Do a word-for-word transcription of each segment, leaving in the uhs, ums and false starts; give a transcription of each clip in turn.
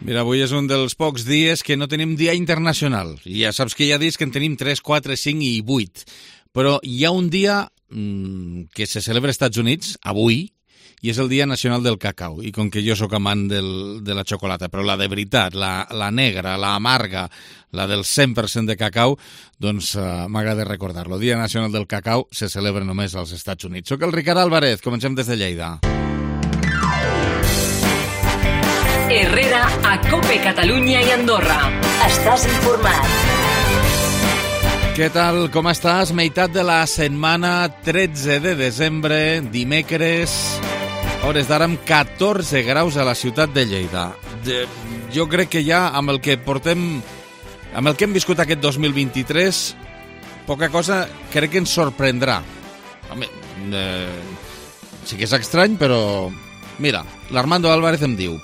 Mira, avui és un dels pocs dies que no tenim dia internacional. I ja saps que hi ha dies que en tenim tres, quatre, cinc i vuit. Però hi ha un dia mmm, que se celebra als Estats Units, avui, i és el Dia Nacional del Cacau. I com que jo sóc amant del, de la xocolata, però la de veritat, la, la negra, la amarga, la del cent per cent de cacau, doncs uh, m'agrada recordar-lo. El Dia Nacional del Cacau se celebra només als Estats Units. Soc el Ricard Álvarez, comencem des de Lleida. Herrera a COPE Catalunya i Andorra. Estàs informat. Què tal? Com estàs? Meitat de la setmana, tretze de desembre, dimecres, hores d'ara amb catorze graus a la ciutat de Lleida. De, jo crec que ja amb el que portem, amb el que hem viscut aquest dos mil vint-i-tres, poca cosa crec que ens sorprendrà. Home, eh, sí que és estrany, però mira, l'Armando Álvarez em diu: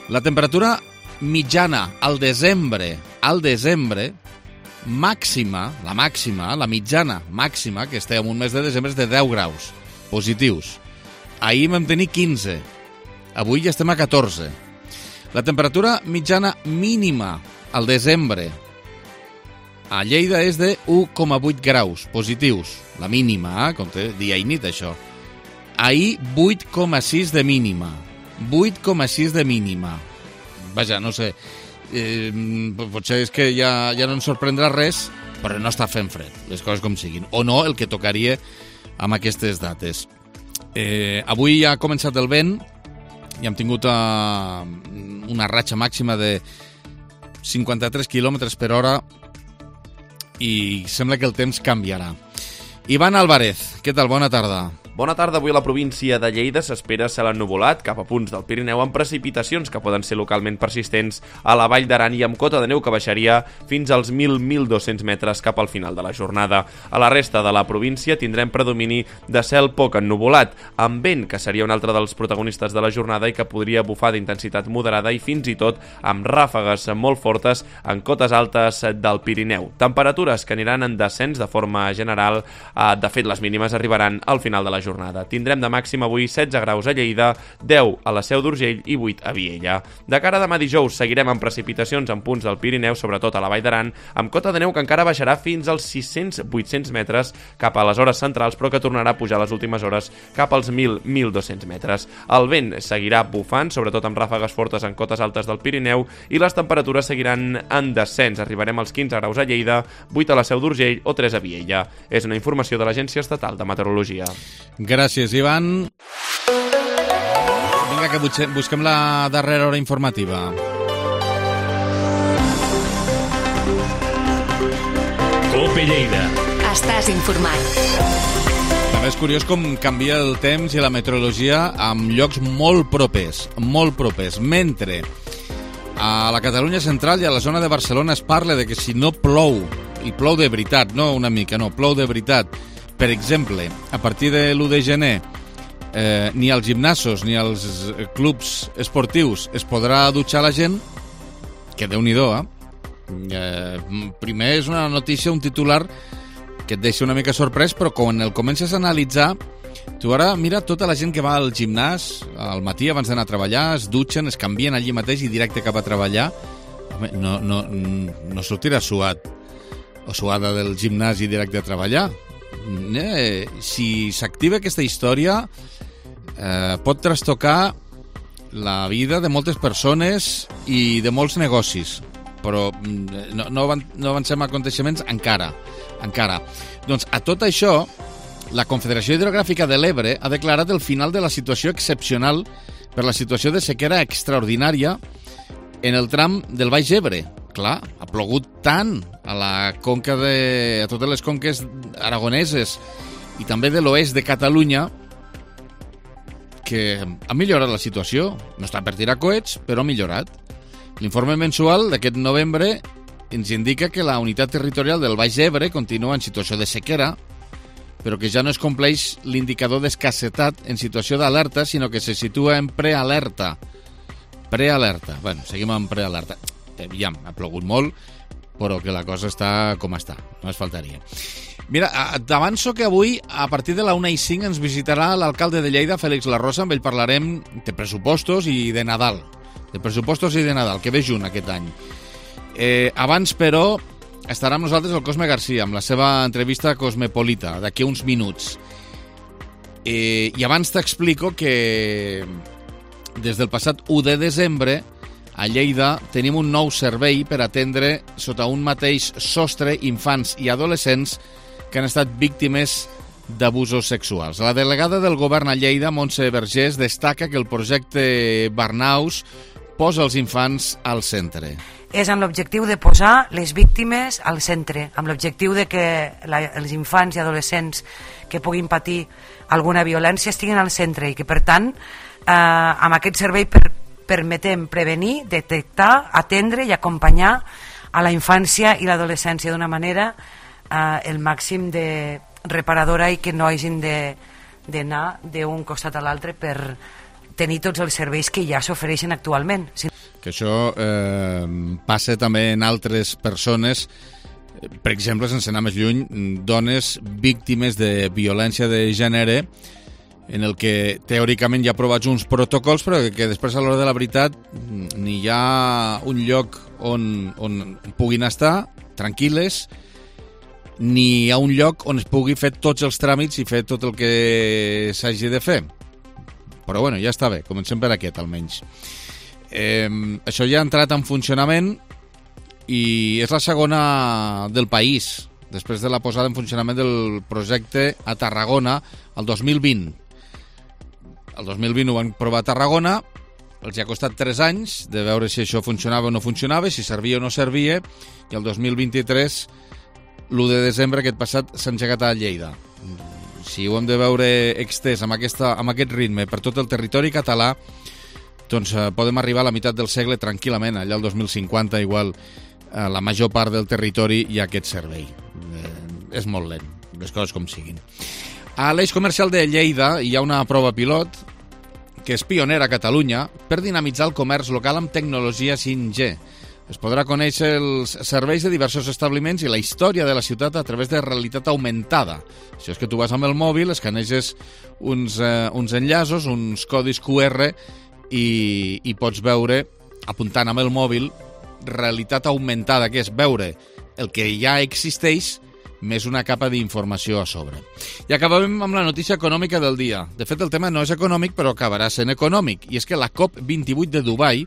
la temperatura mitjana al desembre, al desembre, màxima, la màxima, la mitjana màxima, que estem en un mes de desembre, és de deu graus positius. Ahir vam tenir quinze, avui ja estem a catorze. La temperatura mitjana mínima al desembre a Lleida és de u coma vuit graus positius. La mínima, eh? Compte, dia i nit, això. Ahir, vuit coma sis de mínima. vuit coma sis de mínima. Vaja, no sé, eh, potser és que ja, ja no ens sorprendrà res, però no està fent fred, les coses com siguin. O no, el que tocaria amb aquestes dates. Eh, avui ja ha començat el vent i hem tingut uh, una ratxa màxima de cinquanta-tres quilòmetres per hora i sembla que el temps canviarà. Ivan Álvarez, què tal? Bona tarda. Bona tarda. Avui a la província de Lleida s'espera cel ennuvolat cap a punts del Pirineu amb precipitacions que poden ser localment persistents a la Vall d'Aran i amb cota de neu que baixaria fins als mil a mil dos-cents metres cap al final de la jornada. A la resta de la província tindrem predomini de cel poc ennuvolat, amb vent, que seria un altre dels protagonistes de la jornada i que podria bufar d'intensitat moderada i fins i tot amb ràfegues molt fortes en cotes altes del Pirineu. Temperatures que aniran en descens de forma general. De fet, les mínimes arribaran al final de la jornada. jornada. Tindrem de màxim avui setze graus a Lleida, deu a la Seu d'Urgell i vuit a Viella. De cara a demà dijous seguirem amb precipitacions en punts del Pirineu, sobretot a la Vall d'Aran, amb cota de neu que encara baixarà fins als sis-cents a vuit-cents metres cap a les hores centrals, però que tornarà a pujar a les últimes hores cap als mil a mil dos-cents metres. El vent seguirà bufant, sobretot amb ràfegues fortes en cotes altes del Pirineu, i les temperatures seguiran en descens. Arribarem als quinze graus a Lleida, vuit a la Seu d'Urgell o tres a Viella. És una informació de l'Agència Estatal de Meteorologia. Gràcies, Ivan. Vinga, que busquem la darrera hora informativa. COPE Lleida. Estàs informat. També és curiós com canvia el temps i la meteorologia en llocs molt propers, molt propers. Mentre a la Catalunya central i a la zona de Barcelona es parla de que si no plou, i plou de veritat, no una mica, no, plou de veritat. Per exemple, a partir de l'u de gener, eh, ni als gimnasos ni als clubs esportius es podrà dutxar la gent, que Déu-n'hi-do, eh? eh? Primer és una notícia, un titular que et deixa una mica sorprès, però quan el comences a analitzar, tu ara mira tota la gent que va al gimnàs al matí abans d'anar a treballar, es dutxen, es canvien allí mateix i directe cap a treballar. Home, no, no, no sortirà suat o suada del gimnàs i directe a treballar. Eh, si s'activa aquesta història eh, pot trastocar la vida de moltes persones i de molts negocis, però no, no, no avancem a aconteixements encara, encara. Doncs a tot això la Confederació Hidrogràfica de l'Ebre ha declarat el final de la situació excepcional per la situació de sequera extraordinària en el tram del Baix Ebre. Clar, ha plogut tant a la conca de, a totes les conques aragoneses i també de l'oest de Catalunya que ha millorat la situació. No està per tirar coets, però ha millorat. L'informe mensual d'aquest novembre ens indica que la unitat territorial del Baix Ebre continua en situació de sequera, però que ja no es compleix l'indicador d'escassetat en situació d'alerta, sinó que se situa en prealerta. Prealerta. Bueno, seguim en prealerta. Ja ha plogut molt, però que la cosa està com està, no es faltaria. Mira, t'avanço que avui, a partir de la una i cinc, ens visitarà l'alcalde de Lleida, Félix Larrosa. Amb ell parlarem de pressupostos i de Nadal. de pressupostos i de Nadal, que ve junt aquest any. Eh, abans, però, estarà amb nosaltres el Cosme Garcia, amb la seva entrevista cosmopolita, d'aquí uns minuts. Eh, I abans t'explico que des del passat u de desembre a Lleida tenim un nou servei per atendre sota un mateix sostre infants i adolescents que han estat víctimes d'abusos sexuals. La delegada del govern a Lleida, Montse Vergés, destaca que el projecte Barnaus posa els infants al centre. És amb l'objectiu de posar les víctimes al centre, amb l'objectiu de que la, els infants i adolescents que puguin patir alguna violència estiguin al centre i que, per tant, eh, amb aquest servei per, permetem prevenir, detectar, atendre i acompanyar a la infància i l'adolescència d'una manera eh, el màxim de reparadora i que no hagin d'anar d'un costat a l'altre per tenir tots els serveis que ja s'ofereixen actualment. Sí. Que això eh, passa també en altres persones, per exemple, sense anar més lluny, dones víctimes de violència de gènere, en el que teòricament hi ha aprovats uns protocols, però que, que després a l'hora de la veritat ni hi ha un lloc on, on puguin estar tranquil·les, ni hi ha un lloc on es pugui fer tots els tràmits i fer tot el que s'hagi de fer. Però bueno, ja està bé, comencem per aquest almenys. Eh, això ja ha entrat en funcionament i és la segona del país, després de la posada en funcionament del projecte a Tarragona el dos mil vint. El dos mil vint ho van provar a Tarragona, els ha costat tres anys de veure si això funcionava o no funcionava, si servia o no servia, i el dos mil vint-i-tres, l'u de desembre aquest passat, s'ha engegat a Lleida. Si ho hem de veure extès amb, aquesta, amb aquest ritme per tot el territori català, doncs eh, podem arribar a la meitat del segle tranquil·lament, allà el dos mil cinquanta igual a la major part del territori hi ha aquest servei. Eh, és molt lent, les coses com siguin. A l'eix comercial de Lleida hi ha una prova pilot que és pionera a Catalunya per dinamitzar el comerç local amb tecnologia cinc G. Es podrà conèixer els serveis de diversos establiments i la història de la ciutat a través de realitat augmentada. Això és que tu vas amb el mòbil, escaneges uns, eh, uns enllaços, uns codis Q R i, i pots veure, apuntant amb el mòbil, realitat augmentada, que és veure el que ja existeix més una capa d'informació a sobre. I acabem amb la notícia econòmica del dia. De fet, el tema no és econòmic, però acabarà sent econòmic. I és que la COP vint-i-vuit de Dubai,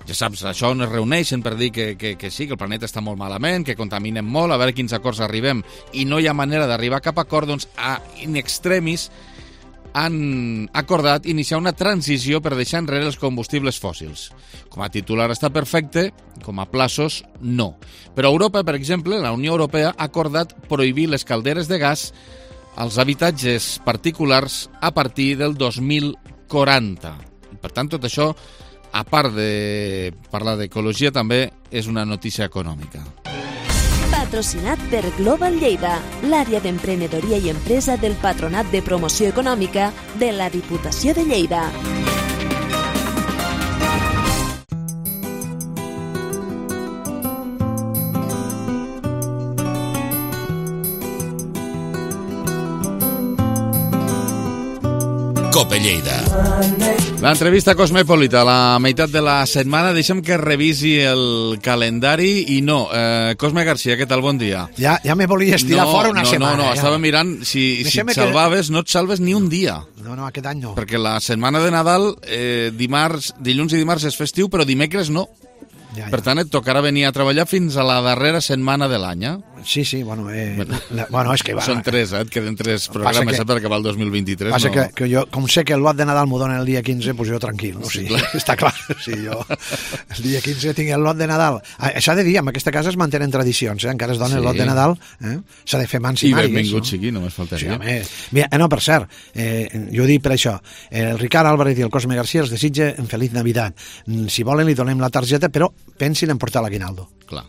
ja saps, això on es reuneixen per dir que, que, que sí, que el planeta està molt malament, que contaminem molt, a veure quins acords arribem, i no hi ha manera d'arribar a cap acord, doncs a in extremis han acordat iniciar una transició per deixar enrere els combustibles fòssils. Com a titular està perfecte, com a plaços no. Però Europa, per exemple, la Unió Europea ha acordat prohibir les calderes de gas als habitatges particulars a partir del dos mil quaranta. I per tant, tot això, a part de parlar d'ecologia, també és una notícia econòmica. Patrocinat per Global Lleida, l'àrea d'emprenedoria i empresa del Patronat de Promoció Econòmica de la Diputació de Lleida. Cope Lleida. L'entrevista cosmopolita, la meitat de la setmana. Deixem que revisi el calendari i no. Eh, Cosme Garcia, què tal? Bon dia. Ja, ja me volies tirar no, fora una no, setmana. No, no, ja. estava mirant si, si et salvaves, que... no et salves ni un dia. No, no, aquest any no. Perquè la setmana de Nadal, eh, dimarts, dilluns i dimarts és festiu, però dimecres no. Ja, ja. Per tant, et tocarà venir a treballar fins a la darrera setmana de l'any, eh? Sí, sí, bueno, eh, la, bueno és que... Va, Són tres, eh? Et queden tres programes que, per acabar el dos mil vint-i-tres. Passa no... que, que jo, com sé que el lot de Nadal m'ho donen el dia quinze, doncs jo tranquil, no? Sí, sí, clar. Està clar. Sí, jo el dia quinze tinc el lot de Nadal. S'ha de dir, en aquesta casa es mantenen tradicions, eh? Encara es dona sí. el lot de Nadal, eh? S'ha de fer mans i, I màrigues. I benvingut no? sigui, només faltaria. Sí, home. Mira, eh, no, per cert, eh, jo dic per això, el Ricard Álvarez i el Cosme Garcia els desitja en Feliç Navidad. Si volen li donem la targeta, però pensin en portar l'aguinaldo. Clar,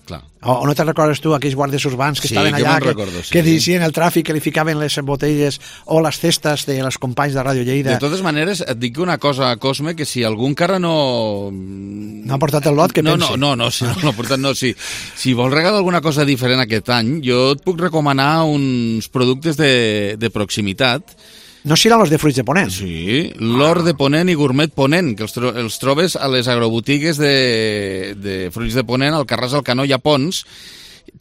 clar. O, o no te recordes tu aquells guàrdies urbans que sí, estaven que allà, que, recordo, sí. que dirigien el tràfic, que li ficaven les botelles o les cestes de les companys de Ràdio Lleida? De totes maneres, et dic una cosa, Cosme, que si algú encara no... No ha portat el lot, que no, pensi? No, no, no, si no l'ha portat, no, si, si vols regalar alguna cosa diferent aquest any, jo et puc recomanar uns productes de, de proximitat No seran els de fruits de Ponent? Sí, l'or de Ponent i gourmet Ponent, que els, tro els trobes a les agrobotigues de, de fruits de Ponent, al Carràs, al Canó i a Pons.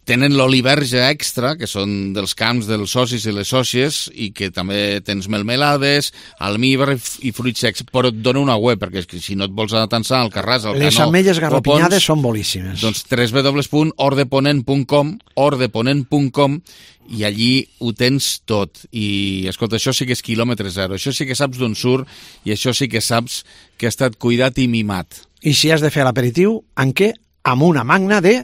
Tenen l'oliverge extra, que són dels camps dels socis i les sòcies, i que també tens melmelades, almíbar i fruits secs, però et dona una web, perquè si no et vols atansar al Carràs, al Canó... Les ametlles garrapinyades són boníssimes. Doncs w w w punt ordeponent punt com, ordeponent punt com, i allí ho tens tot. I, escolta, això sí que és quilòmetre zero, això sí que saps d'on surt, i això sí que saps que ha estat cuidat i mimat. I si has de fer l'aperitiu, en què? Amb una magna de...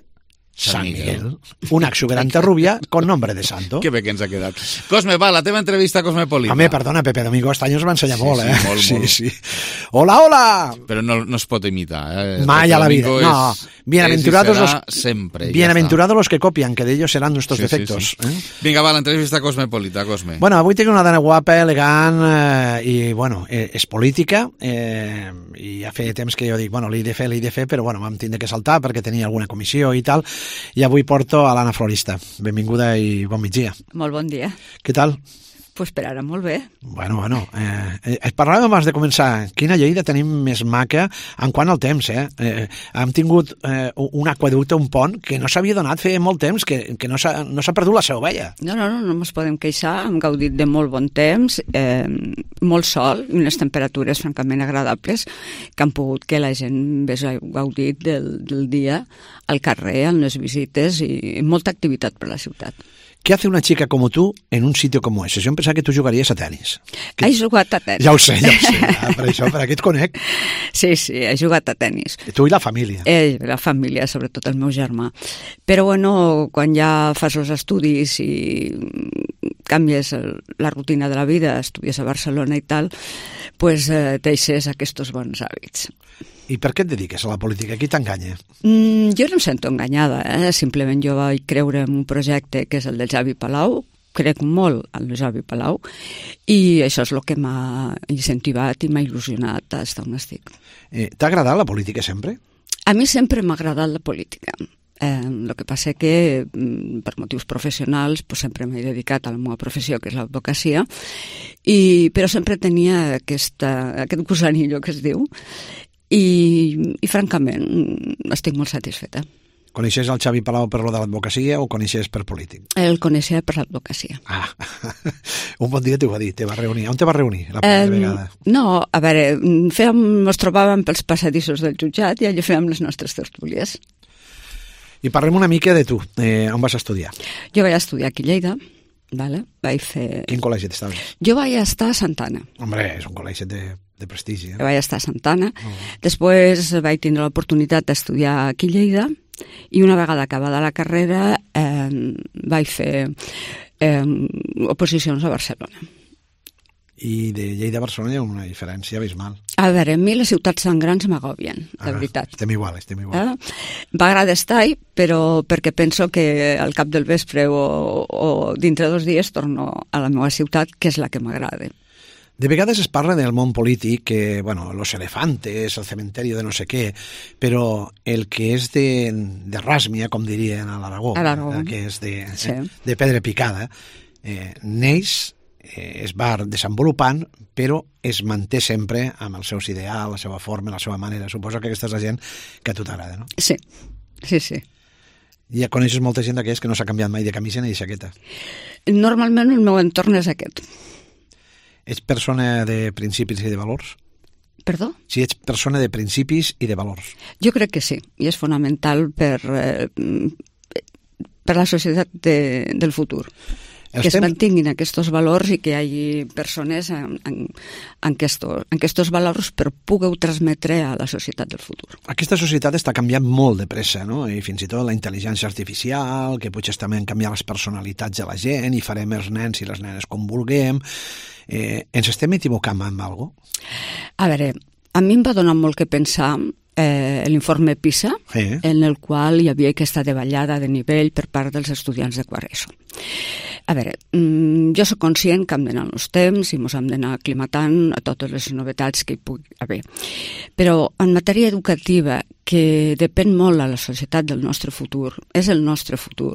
San Miguel. Una exuberante rubia con nombre de santo. Que bé que ens ha quedat. Cosme, va, la teva entrevista a Cosmopolita. Home, perdona, Pepe Domingo este any us va ensenyar sí, molt, eh? Sí, molt, sí, molt. sí. Hola, hola! Però no, no es pot imitar, eh? Mai a la vida, no. És, bienaventurados és los, sempre, bienaventurados ja los que copian, que de ellos serán nuestros sí, defectos. Sí, sí. Eh? Vinga, va, l'entrevista a Cosmopolita, Cosme. Bueno, avui tinc una dona guapa, elegant, eh, i, bueno, eh, és política, eh, i ja feia temps que jo dic, bueno, l'he de fer, l'he de fer, però, bueno, vam tindre que saltar perquè tenia alguna comissió i tal, i avui porto a l'Anna Florista. Benvinguda i bon migdia. Molt bon dia. Què tal? Pues per ara molt bé. Bueno, bueno, eh, eh, parlàvem abans de començar. Quina Lleida tenim més maca en quant al temps, eh? eh hem tingut eh, un aqueducte, un pont, que no s'havia donat feia molt temps, que, que no s'ha no s'ha perdut la seva ovella. No, no, no, no ens podem queixar. Hem gaudit de molt bon temps, eh, molt sol i unes temperatures francament agradables que han pogut que la gent hagués gaudit del, del dia al carrer, en les visites i molta activitat per la ciutat. ¿Qué hace una chica como tú en un sitio como ese? Yo pensaba que tú jugaries a tenis. Que... He jugat a tenis. Ja ho sé, ja ho sé. Ah, per això, per aquí et conec. Sí, sí, he jugat a tenis. Tu i la família. Eh, la família, sobretot el meu germà. Però, bueno, quan ja fas els estudis i canvies el, la rutina de la vida, estudies a Barcelona i tal, pues eh, deixes aquests bons hàbits. I per què et dediques a la política? Qui t'enganya? Mm, jo no em sento enganyada, eh? Simplement jo vaig creure en un projecte que és el del Javi Palau, crec molt en el Javi Palau, i això és el que m'ha incentivat i m'ha il·lusionat a estar on estic. Eh, T'ha agradat la política sempre? A mi sempre m'ha agradat la política. Eh, el que passa que per motius professionals pues, sempre m'he dedicat a la meva professió, que és l'advocacia, i, però sempre tenia aquesta, aquest gusanillo que es diu, i, i francament estic molt satisfeta. Coneixes el Xavi Palau per lo de l'advocacia o coneixes per polític? El coneixia per l'advocacia. Ah, un bon dia t'ho va dir, te va reunir. On te va reunir la primera eh, vegada? No, a veure, fèiem, ens trobàvem pels passadissos del jutjat i allà fèiem les nostres tertúlies. I parlem una mica de tu. Eh, on vas estudiar? Jo vaig estudiar aquí a Lleida. Vale? Vaig fer... Quin col·legi t'estaves? Jo vaig estar a Santana. Hombre, és un col·legi de, de prestigi. Eh? Vaig estar a Santana. Oh. Després vaig tindre l'oportunitat d'estudiar aquí a Lleida i una vegada acabada la carrera eh, vaig fer eh, oposicions a Barcelona. I de Lleida a Barcelona hi ha una diferència abismal. A veure, a mi les ciutats tan grans m'agobien, de ah, veritat. Estem igual, estem igual. Eh? M'agrada estar-hi, però perquè penso que al cap del vespre o, o dintre dos dies torno a la meva ciutat, que és la que m'agrada. De vegades es parla del món polític, que, bueno, los elefantes, el cementerio de no sé què, però el que és de, de ràsmia, com dirien a l'Aragó, el que és de, sí. eh, de pedra picada, eh, neix, eh, es va desenvolupant, però es manté sempre amb els seus ideals, la seva forma, la seva manera. Suposo que aquesta és la gent que a tu t'agrada, no? Sí, sí, sí. Ja coneixes molta gent d'aquells que no s'ha canviat mai de camisa ni de jaqueta. Normalment el meu entorn és aquest. Ets persona de principis i de valors? Perdó? Si ets persona de principis i de valors. Jo crec que sí, i és fonamental per, eh, per la societat de, del futur. Que es mantinguin aquests valors i que hi hagi persones en, en, en, aquestos, en aquests valors per poder transmetre a la societat del futur. Aquesta societat està canviant molt de pressa, no? I fins i tot la intel·ligència artificial, que potser també han canviat les personalitats de la gent i farem els nens i les nenes com vulguem. Eh, ens estem equivocant amb alguna cosa? A veure, a mi em va donar molt que pensar eh, l'informe PISA, sí. En el qual hi havia aquesta davallada de nivell per part dels estudiants de quart ESO. A veure, jo soc conscient que hem d'anar els temps i ens hem d'anar aclimatant a totes les novetats que hi pugui haver. Però en matèria educativa, que depèn molt a la societat del nostre futur, és el nostre futur,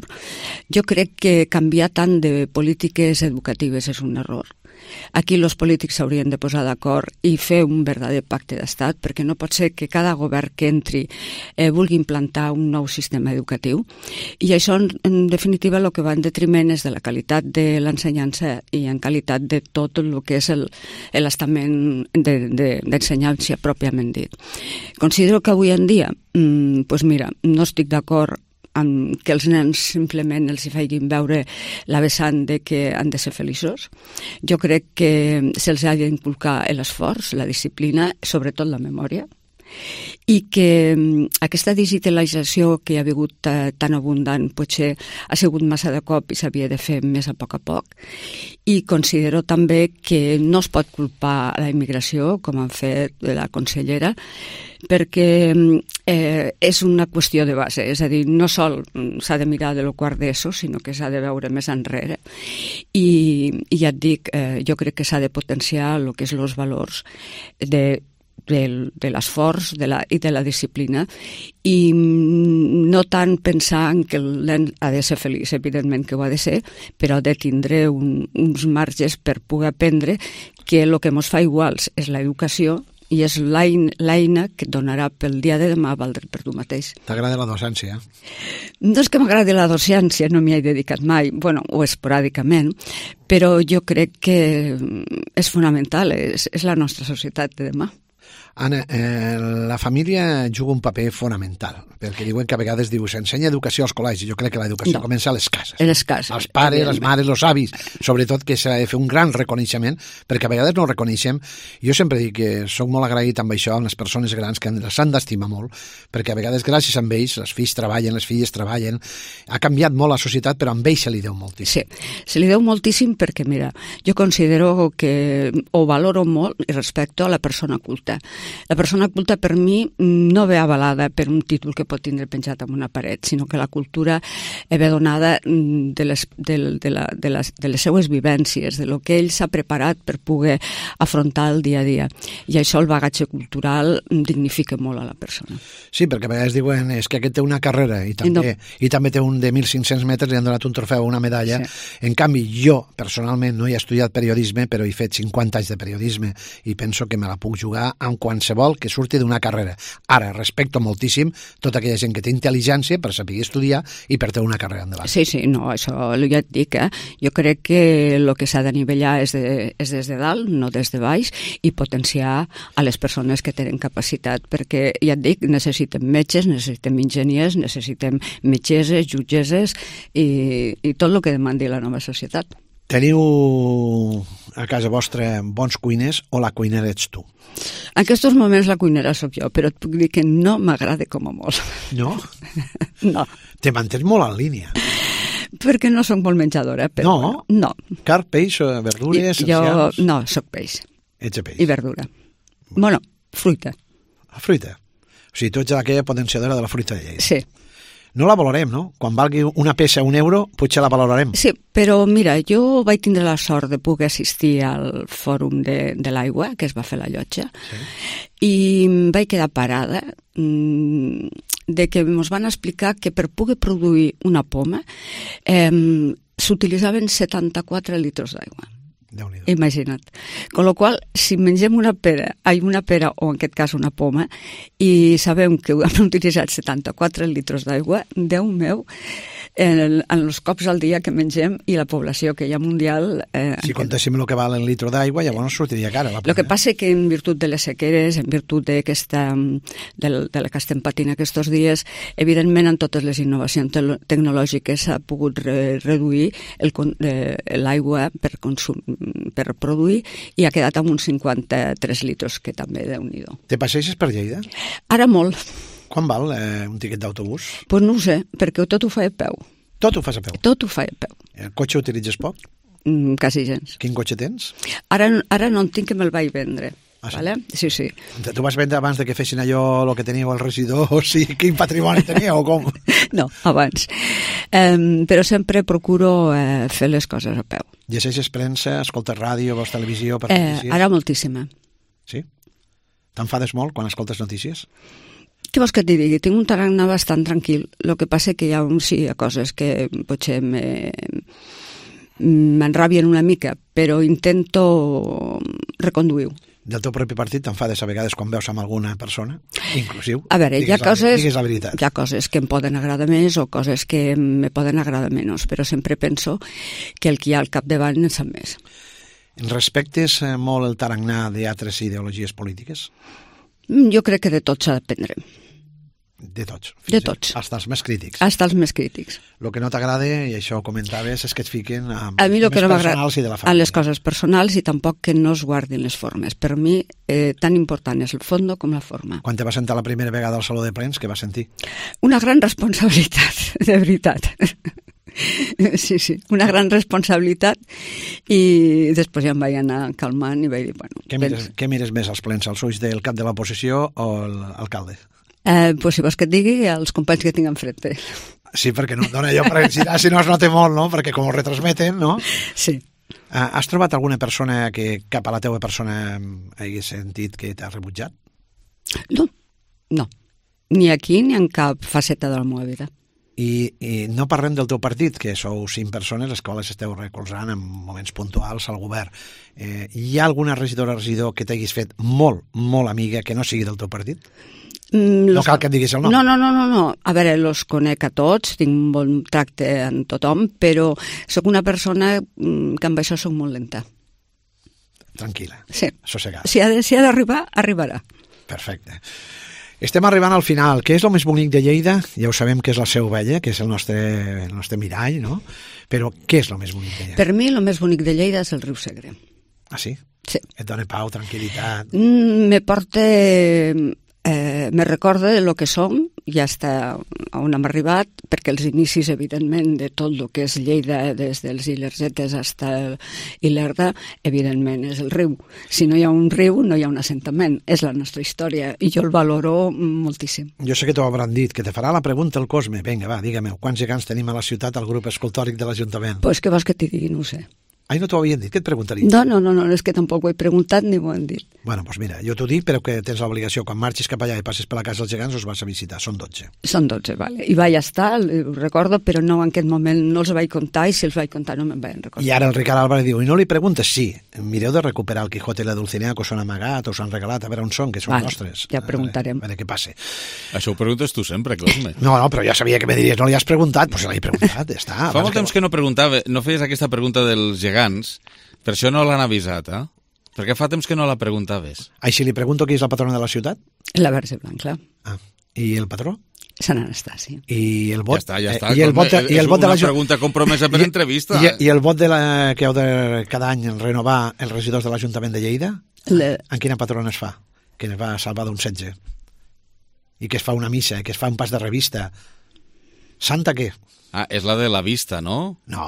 jo crec que canviar tant de polítiques educatives és un error. Aquí els polítics s'haurien de posar d'acord i fer un verdader pacte d'estat, perquè no pot ser que cada govern que entri eh, vulgui implantar un nou sistema educatiu, i això en, en definitiva el que va en detriment és de la qualitat de l'ensenyança i en qualitat de tot el que és l'estament d'ensenyància de, de, pròpiament dit. Considero que avui en dia, mm, pues mira, no estic d'acord amb que els nens simplement els hi facin veure la vessant de que han de ser feliços. Jo crec que se'ls ha d'inculcar l'esforç, la disciplina, sobretot la memòria, i que aquesta digitalització que hi ha hagut eh, tan abundant potser ha sigut massa de cop i s'havia de fer més a poc a poc, i considero també que no es pot culpar la immigració, com han fet la consellera, perquè eh, és una qüestió de base, és a dir, no sol s'ha de mirar de lo quart d'ESO, sinó que s'ha de veure més enrere, i, i ja et dic, eh, jo crec que s'ha de potenciar el que és els valors de de, de l'esforç de la, i de la disciplina, i no tant pensar en que el nen ha de ser feliç, evidentment que ho ha de ser, però ha de tindre un, uns marges per poder aprendre que el que ens fa iguals és l'educació i és l'eina que et donarà pel dia de demà valdre per tu mateix. T'agrada la docència? No és que m'agradi la docència, no m'hi he dedicat mai, bueno, o esporàdicament, però jo crec que és fonamental, és, és la nostra societat de demà. Anna, eh, la família juga un paper fonamental, perquè diuen que a vegades diu s'ensenya educació als col·legis. Jo crec que l'educació no. comença a les cases. A les cases. Els pares, les mares, els avis, sobretot que s'ha de fer un gran reconeixement, perquè a vegades no reconeixem. Jo sempre dic que soc molt agraït amb això, amb les persones grans, que les han d'estimar molt, perquè a vegades gràcies a ells, els fills treballen, les filles treballen, ha canviat molt la societat, però amb ells se li deu moltíssim. Sí, se li deu moltíssim perquè, mira, jo considero que ho valoro molt i respecto a la persona culta. La persona culta per mi no ve avalada per un títol que pot tindre penjat en una paret, sinó que la cultura ve donada de les, de, de, la, de, les, de les seues vivències, de lo que ell s'ha preparat per poder afrontar el dia a dia. I això, el bagatge cultural, dignifica molt a la persona. Sí, perquè a vegades diuen és que aquest té una carrera i també, no. i també té un de mil cinc-cents metres, li han donat un trofeu, una medalla. Sí. En canvi, jo, personalment, no he estudiat periodisme, però he fet cinquanta anys de periodisme i penso que me la puc jugar amb qualsevol que surti d'una carrera. Ara, respecto moltíssim tota aquella gent que té intel·ligència per saber estudiar i per tenir una carrera endavant. Sí, sí, no, això ja et dic, eh? Jo crec que el que s'ha d'anivellar és, de, és des de dalt, no des de baix, i potenciar a les persones que tenen capacitat, perquè, ja et dic, necessitem metges, necessitem enginyers, necessitem metgesses, jutgesses i, i tot el que demandi la nova societat. Teniu a casa vostra bons cuiners o la cuinera ets tu? En aquests moments la cuinera sóc jo, però et puc dir que no m'agrada com a molt. No? No. Te mantens molt en línia. Perquè no soc molt menjadora. Però no? No. Carn, peix, verdures, essencials? Jo no, soc peix. Ets de peix. I verdura. Bueno, fruita. La fruita? O sigui, tu ets aquella potenciadora de la fruita de Lleida. Sí. No la valorem, no? Quan valgui una peça un euro, potser la valorarem. Sí, però mira, jo vaig tindre la sort de poder assistir al fòrum de, de l'aigua, que es va fer a la Llotja, sí. I vaig quedar parada mmm, de que ens van explicar que per poder produir una poma eh, s'utilitzaven setanta-quatre litres d'aigua. Imagina't. Con lo qual, si mengem una pera, ai, una pera o en aquest cas una poma, i sabem que hem utilitzat setanta-quatre litres d'aigua, Déu meu, en, en els cops al dia que mengem i la població que hi ha mundial... Eh, si contéssim el que val el litro d'aigua, llavors sortiria cara. El que passa que en virtut de les sequeres, en virtut d'aquesta, de, de la que estem patint aquests dies, evidentment en totes les innovacions te tecnològiques s'ha pogut re reduir l'aigua per consum, per produir, i ha quedat amb uns cinquanta-tres litres, que també Déu-n'hi-do. Te passeixes per Lleida? Ara molt. Quan val eh, un tiquet d'autobús? Doncs pues no ho sé, perquè tot ho fa a peu. Tot ho fas a peu? Tot ho fa a peu. El cotxe utilitzes poc? Mm, quasi gens. Quin cotxe tens? Ara, ara no en tinc, que me'l vaig vendre. Ah, sí? Vale? Sí, sí. Tu vas vendre abans de que fessin allò el que teníeu els regidors i quin patrimoni teníeu o com? No, abans. Um, però sempre procuro eh, fer les coses a peu. Llegeixes premsa, escoltes ràdio, veus televisió per eh, notícies? Ara moltíssima. Sí? T'enfades molt quan escoltes notícies? Què vols que et digui? Tinc un tarannà bastant tranquil. El que passa que hi ha, sí, hi ha coses que potser me, m'enrabien una mica, però intento reconduir-ho. Del teu propi partit t'enfades a vegades quan veus amb alguna persona, inclusiu? A veure, hi ha, la, coses, la veritat. hi ha coses que em poden agradar més o coses que me poden agradar menys, però sempre penso que el que hi ha al capdavant en sap més. Respectes molt el tarannà d'altres ideologies polítiques? Jo crec que de tot s'ha d'aprendre. De tots. De tots. Hasta els més crítics. Hasta els més crítics. El que no t'agrada, i això ho comentaves, és que et fiquen amb a mi les que no personals i de la família. A les coses personals i tampoc que no es guardin les formes. Per mi, eh, tan important és el fondo com la forma. Quan te vas sentar la primera vegada al Saló de Plens, què vas sentir? Una gran responsabilitat, de veritat. Sí, sí, una gran responsabilitat, i després ja em vaig anar calmant i vaig dir, bueno... Què mires, què mires més als plens, els ulls del cap de l'oposició o l'alcalde? Eh, pues si vols que et digui, els companys que tinc enfrente. Sí, perquè no dona allò per ensinar, si no es nota molt, no? Perquè com ho retransmeten, no? Sí. Uh, has trobat alguna persona que cap a la teva persona hagi sentit que t'ha rebutjat? No, no. Ni aquí ni en cap faceta de la meva vida. I, i no parlem del teu partit, que sou cinc persones les quals esteu recolzant en moments puntuals al govern. Eh, hi ha alguna regidora o regidor que t'haguis fet molt, molt amiga que no sigui del teu partit? Mm, no cal que em diguis el nom. No, no, no, no, no. A veure, los conec a tots, tinc un bon tracte en tothom, però sóc una persona que amb això sóc molt lenta. Tranquil·la. Sí. Assossegada. Si ha de, si ha d'arribar, arribarà. Perfecte. Estem arribant al final. Què és el més bonic de Lleida? Ja ho sabem que és la Seu Vella, que és el nostre, el nostre mirall, no? Però què és el més bonic de Lleida? Per mi el més bonic de Lleida és el riu Segre. Ah, sí? Sí. Et dona pau, tranquil·litat? Mm, me porta... Eh, me recorda el que som i hasta on hem arribat, perquè els inicis, evidentment, de tot el que és Lleida, des dels Ilergetes fins Ilerda, evidentment, és el riu. Si no hi ha un riu, no hi ha un assentament. És la nostra història i jo el valoro moltíssim. Jo sé que t'ho hauran dit, que te farà la pregunta el Cosme. Vinga, va, digue-me, quants gegants tenim a la ciutat al grup escultòric de l'Ajuntament? Doncs pues què vols que t'hi digui? No ho sé. Ai, no t'ho havien dit, què et preguntaria? No, no, no, no, és que tampoc ho he preguntat ni ho han dit. Bueno, doncs mira, jo t'ho dic, però que tens l'obligació, quan marxis cap allà i passes per la casa dels gegants, us vas a visitar, són dotze. Són dotze, vale. I vaig estar, ho recordo, però no en aquest moment no els vaig comptar, i si els vaig comptar no me'n vaig recordar. I ara el Ricard Álvarez diu, i no li preguntes? Sí, mireu de recuperar el Quijote i la Dulcinea, que us han amagat, us han regalat, a veure on són, que són vale, nostres. Ja preguntarem. A veure què passa. Això ho preguntes tu sempre, Cosme. No, no, però ja sabia que me diries, no li has preguntat, doncs l'he preguntat, ja està. Fa molt temps que no preguntava, no feies aquesta pregunta dels gegants. Per això no l'han avisat, eh? Perquè fa temps que no la preguntaves. Ah, i si li pregunto qui és la patrona de la ciutat? La Verge Blanca. Ah, i el patró? Sant Anastasi. I el vot? Ja està, ja està. I el vot de, i el vot de la... És una pregunta compromesa per I, entrevista. I, I el vot de la, que heu de cada any renovar els regidors de l'Ajuntament de Lleida? Le... En quina patrona es fa? Que es va salvar d'un setge. I que es fa una missa, que es fa un pas de revista. Santa què? Ah, és la de la vista, no? No.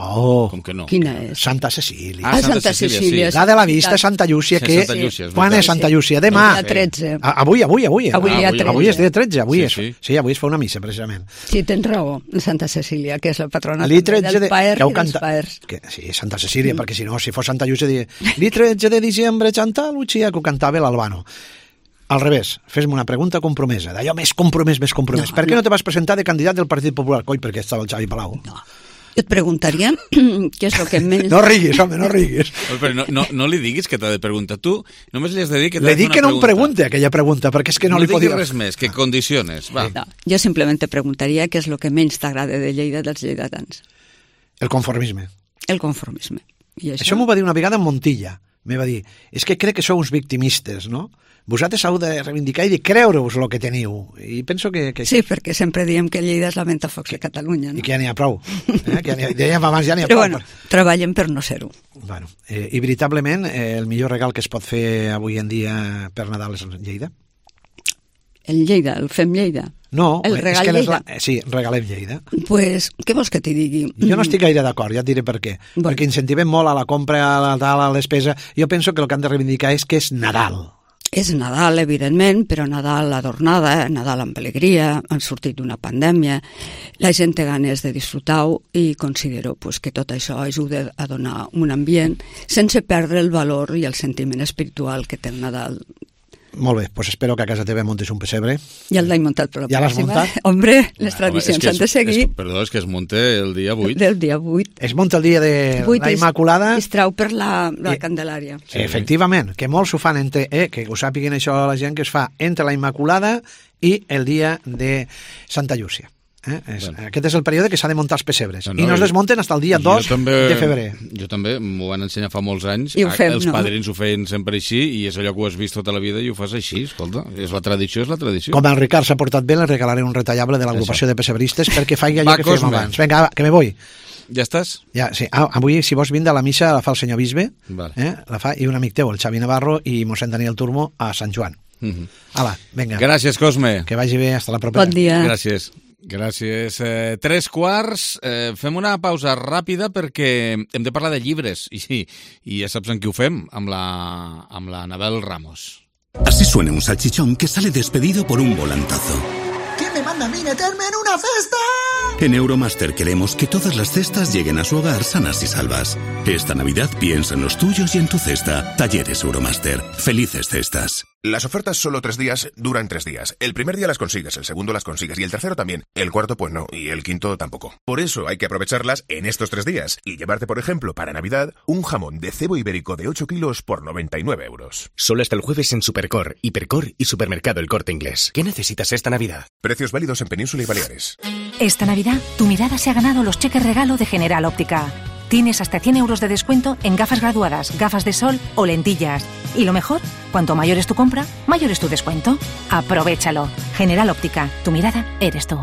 Com que no? Quina és? Santa Cecília. Ah, Santa, Santa Cecília, sí. La de la vista, Santa Llúcia, sí, que... Santa Llúcia, és quan és Santa Llúcia? Demà. Dia tretze. A, avui, avui, avui. Avui, ah, avui, avui és dia tretze, avui sí, és. Sí. sí, avui es fa una missa, precisament. Sí, tens raó, Santa Cecília, que és la patrona del de... Paer i dels Paers. Que, sí, Santa Cecília, mm. perquè si no, si fos Santa Llúcia, diria, el tretze de diciembre, Santa Llúcia, que ho cantava l'Albano. Al revés, fes-me una pregunta compromesa, d'allò més compromès, més compromès. No, per què no. no te vas presentar de candidat del Partit Popular? Coi, perquè estava el Xavi Palau. No. Jo et preguntaria què és el que menys... No riguis, home, no riguis. Però no, no, no li diguis que t'ha de preguntar. Tu només li has de dir que t'ha de fer fer una pregunta. Le dic que no em pregunte aquella pregunta, perquè és que no, no li pot dir... No diguis res més, que condiciones. Va. No, jo simplement te preguntaria què és el que menys t'agrada de Lleida dels lleidatans. El conformisme. El conformisme. I això això m'ho va dir una vegada en Montilla. Me va dir, és que crec que sou uns victimistes, no? Vosaltres heu de reivindicar i de creure-vos el que teniu. I penso que... que... Sí, perquè sempre diem que Lleida és la Ventafocs de Catalunya, no? I que ja n'hi ha prou. Eh? Que ja dèiem abans, ja n'hi ha Però prou. bueno, treballem per no ser-ho. Bueno, eh, i veritablement, eh, el millor regal que es pot fer avui en dia per Nadal és Lleida? El Lleida, el fem Lleida? No, el regal és que Lleida. La... Sí, regalem Lleida. Pues, què vols que t'hi digui? Jo no estic gaire d'acord, ja et diré per què. Bueno. Perquè incentivem molt a la compra, a la, a la despesa. Jo penso que el que han de reivindicar és que és Nadal. És Nadal, evidentment, però Nadal adornada, Nadal amb alegria, han sortit d'una pandèmia, la gent té ganes de disfrutar-ho i considero pues, que tot això ajuda a donar un ambient sense perdre el valor i el sentiment espiritual que té el Nadal Molt bé, pues espero que a casa teva montes un pessebre. Ja l'he muntat per la Ja l'has pròxima. muntat? Hombre, les Home, tradicions és que s'han de es- seguir. és- Perdó, és que es munta el dia vuit. Del dia vuit. Es munta el dia de Vuit la es- Immaculada. Es trau per la, la I- Candelària. Sí. Efectivament, que molts ho fan, entre, eh, que ho sàpiguen això la gent, que es fa entre la Immaculada i el dia de Santa Llúcia. Eh? És, Bueno. Aquest és el període que s'ha de muntar els pessebres. No, No, no, I no es i- desmunten fins al dia Jo dos també- de febrer. Jo també, m'ho van ensenyar fa molts anys. I ho fem, Els no? padrins ho feien sempre així i és allò que ho has vist tota la vida i ho fas així, escolta. És la tradició, és la tradició. Com el Ricard s'ha portat bé, li regalaré un retallable de l'agrupació de pessebristes perquè faci allò Va, que fèiem Cosme. abans. Vinga, va, que me voy. Ja estàs? Ja, sí. Ah, avui, si vols vindre a la missa, la fa el senyor bisbe, Vale. eh? la fa, i un amic teu, el Xavi Navarro, i mossèn Daniel Turmo a Sant Joan. Mhm. Ala, vinga. Gràcies, Cosme. Que vagi bé, hasta la propera. Bon dia. Gràcies. Gràcies. Eh, tres quarts. Eh, fem una pausa ràpida perquè hem de parlar de llibres. I, i ja saps en qui ho fem, amb la, amb la Anabel Ramos. Así suena un salchichón que sale despedido por un volantazo. ¿Quién me manda a mí meterme en una cesta? En Euromaster queremos que todas las cestas lleguen a su hogar sanas y salvas. Esta Navidad piensa en los tuyos y en tu cesta. Talleres Euromaster. Felices cestas. Las ofertas solo tres días duran tres días. El primer día las consigues, el segundo las consigues y el tercero también. El cuarto pues no y el quinto tampoco. Por eso hay que aprovecharlas en estos tres días y llevarte, por ejemplo, para Navidad, un jamón de cebo ibérico de ocho kilos por noventa y nueve euros. Solo hasta el jueves en Supercor, Hipercor y Supermercado El Corte Inglés. ¿Qué necesitas esta Navidad? Precios válidos en Península y Baleares. Esta Navidad, tu mirada se ha ganado los cheques regalo de General Óptica. Tienes hasta cien euros de descuento en gafas graduadas, gafas de sol o lentillas. Y lo mejor, cuanto mayor es tu compra, mayor es tu descuento. Aprovechalo. General Óptica, tu mirada eres tú.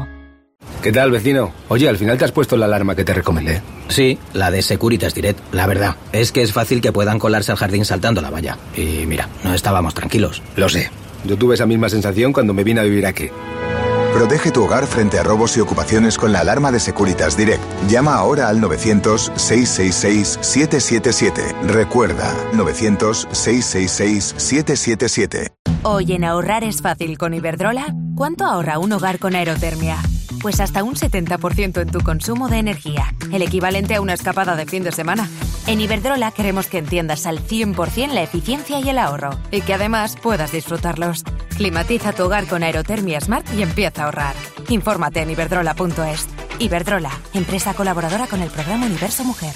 ¿Qué tal, vecino? Oye, al final te has puesto la alarma que te recomendé. Sí, la de Securitas Direct. La verdad, es que es fácil que puedan colarse al jardín saltando la valla. Y mira, no estábamos tranquilos. Lo sé. Yo tuve esa misma sensación cuando me vine a vivir aquí. Protege tu hogar frente a robos y ocupaciones con la alarma de Securitas Direct. Llama ahora al novecientos, seiscientos sesenta y seis, setecientos setenta y siete. Recuerda, novecientos, seiscientos sesenta y seis, setecientos setenta y siete. Hoy en ahorrar es fácil con Iberdrola. ¿Cuánto ahorra un hogar con aerotermia? Pues hasta un setenta por ciento en tu consumo de energía, el equivalente a una escapada de fin de semana. En Iberdrola queremos que entiendas al cien por ciento la eficiencia y el ahorro, y que además puedas disfrutarlos. Climatiza tu hogar con aerotermia Smart y empieza a ahorrar. Infórmate en iberdrola punto es. Iberdrola, empresa colaboradora con el programa Universo Mujer.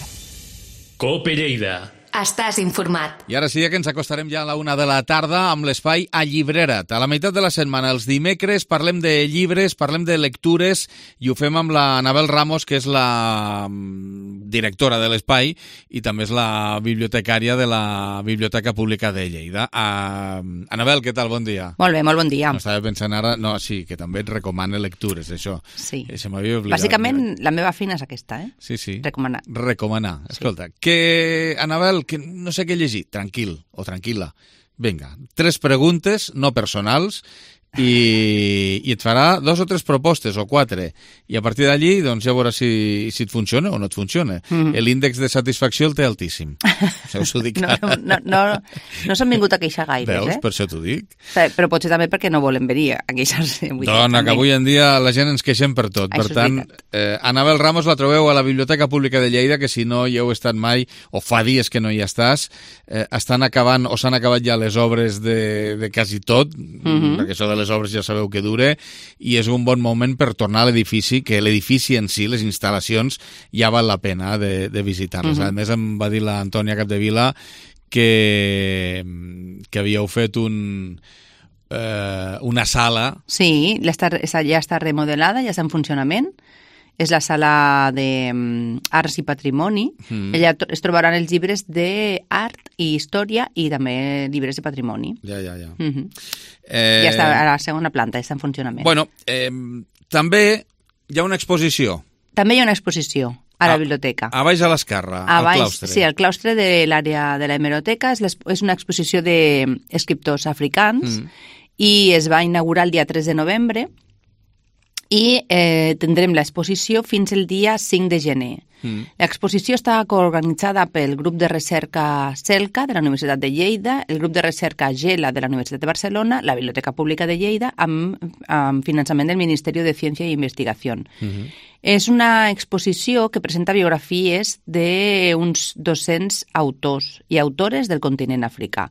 Cope Lleida. Estàs informat. I ara sí que ens acostarem ja a la una de la tarda amb l'espai A Llibrera't. A la meitat de la setmana, els dimecres, parlem de llibres, parlem de lectures i ho fem amb la Anabel Ramos, que és la directora de l'espai i també és la bibliotecària de la Biblioteca Pública de Lleida. Uh, Anabel, què tal? Bon dia. Molt bé, molt bon dia. No, estava pensant ara... No, sí, que també et recomana lectures, això. Sí. Se m'havia oblidat. Bàsicament, la meva feina és aquesta, eh? Sí, sí. Recomanar. Recomanar. Escolta, sí. Que, Anabel, que no sé què llegir, tranquil o tranquil·la. Vinga, tres preguntes no personals i, i et farà dos o tres propostes o quatre i a partir d'allí doncs ja veuràs si, si et funciona o no et funciona. Mm-hmm. L'índex de satisfacció el té altíssim. Això us ho dic. no, no, no, no s'han vingut a queixar gaires, Veus? eh? Per això t'ho dic. Però potser també perquè no volen venir a queixar-se. Dona, que avui en dia la gent ens queixem per tot. Això per tant, eh, Anabel Ramos la trobeu a la Biblioteca Pública de Lleida, que si no hi heu estat mai, o fa dies que no hi estàs, eh, estan acabant, o s'han acabat ja les obres de, de quasi tot, mm-hmm. perquè això de les obres ja sabeu que dure, i és un bon moment per tornar a l'edifici, que l'edifici en si, les instal·lacions, ja val la pena de, de visitar-les. Mm-hmm. A més, em va dir l'Antònia Capdevila que, que havíeu fet un, eh, una sala... Sí, ja està remodelada, ja està en funcionament. És la sala d'Arts i Patrimoni. Mm. Allà es trobaran els llibres d'art i història i també llibres de patrimoni. Ja, ja, ja. Mm-hmm. eh... Ja està a la segona planta, està en funcionament. Bueno, eh, també hi ha una exposició. També hi ha una exposició a la a, biblioteca. A baix a l'esquerra, al claustre. Sí, al claustre de l'àrea de la hemeroteca. És, és una exposició d'escriptors africans mm. i es va inaugurar el dia tres de novembre. I eh, tindrem l'exposició fins el dia cinc de gener. Mm. L'exposició està coorganitzada pel grup de recerca CELCA de la Universitat de Lleida, el grup de recerca GELA de la Universitat de Barcelona, la Biblioteca Pública de Lleida, amb, amb finançament del Ministeri de Ciència i Investigació. Mm-hmm. És una exposició que presenta biografies d'uns dos-cents autors i autores del continent africà.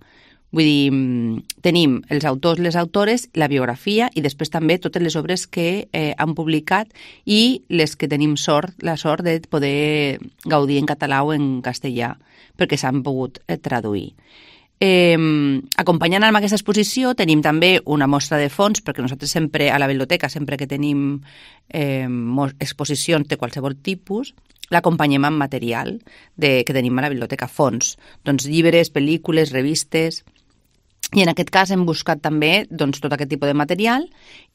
Vull dir, tenim els autors, les autores, la biografia i després també totes les obres que eh, han publicat i les que tenim sort, la sort de poder gaudir en català o en castellà perquè s'han pogut eh, traduir. Eh, acompanyant amb aquesta exposició tenim també una mostra de fons, perquè nosaltres sempre a la biblioteca, sempre que tenim eh, exposicions de qualsevol tipus, l'acompanyem amb material de, que tenim a la biblioteca, fons, doncs llibres, pel·lícules, revistes, i en aquest cas hem buscat també doncs, tot aquest tipus de material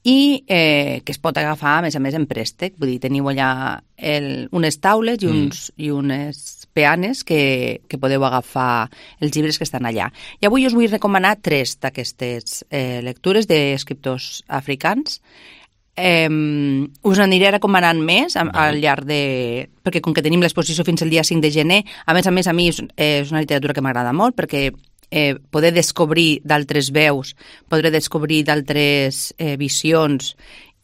i eh, que es pot agafar a més a més en préstec, vull dir, teniu allà el, unes taules i, uns, mm. i unes peanes que, que podeu agafar els llibres que estan allà. I avui us vull recomanar tres d'aquestes eh, lectures d'escriptors africans. Eh, us aniré recomanant més al, al llarg de... perquè com que tenim l'exposició fins al dia cinc de gener, a més a més a mi és, és una literatura que m'agrada molt perquè eh, poder descobrir d'altres veus, poder descobrir d'altres eh, visions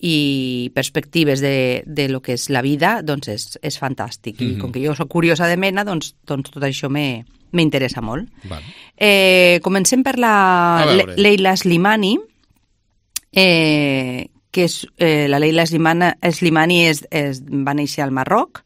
i perspectives de, de lo que és la vida, doncs és, és fantàstic. I mm-hmm. com que jo soc curiosa de mena, doncs, doncs tot això me, m'interessa molt. Vale. Eh, comencem per la Le- Leila Slimani, eh, que és, eh, la Leila Slimani, Slimani és, és, va néixer al Marroc.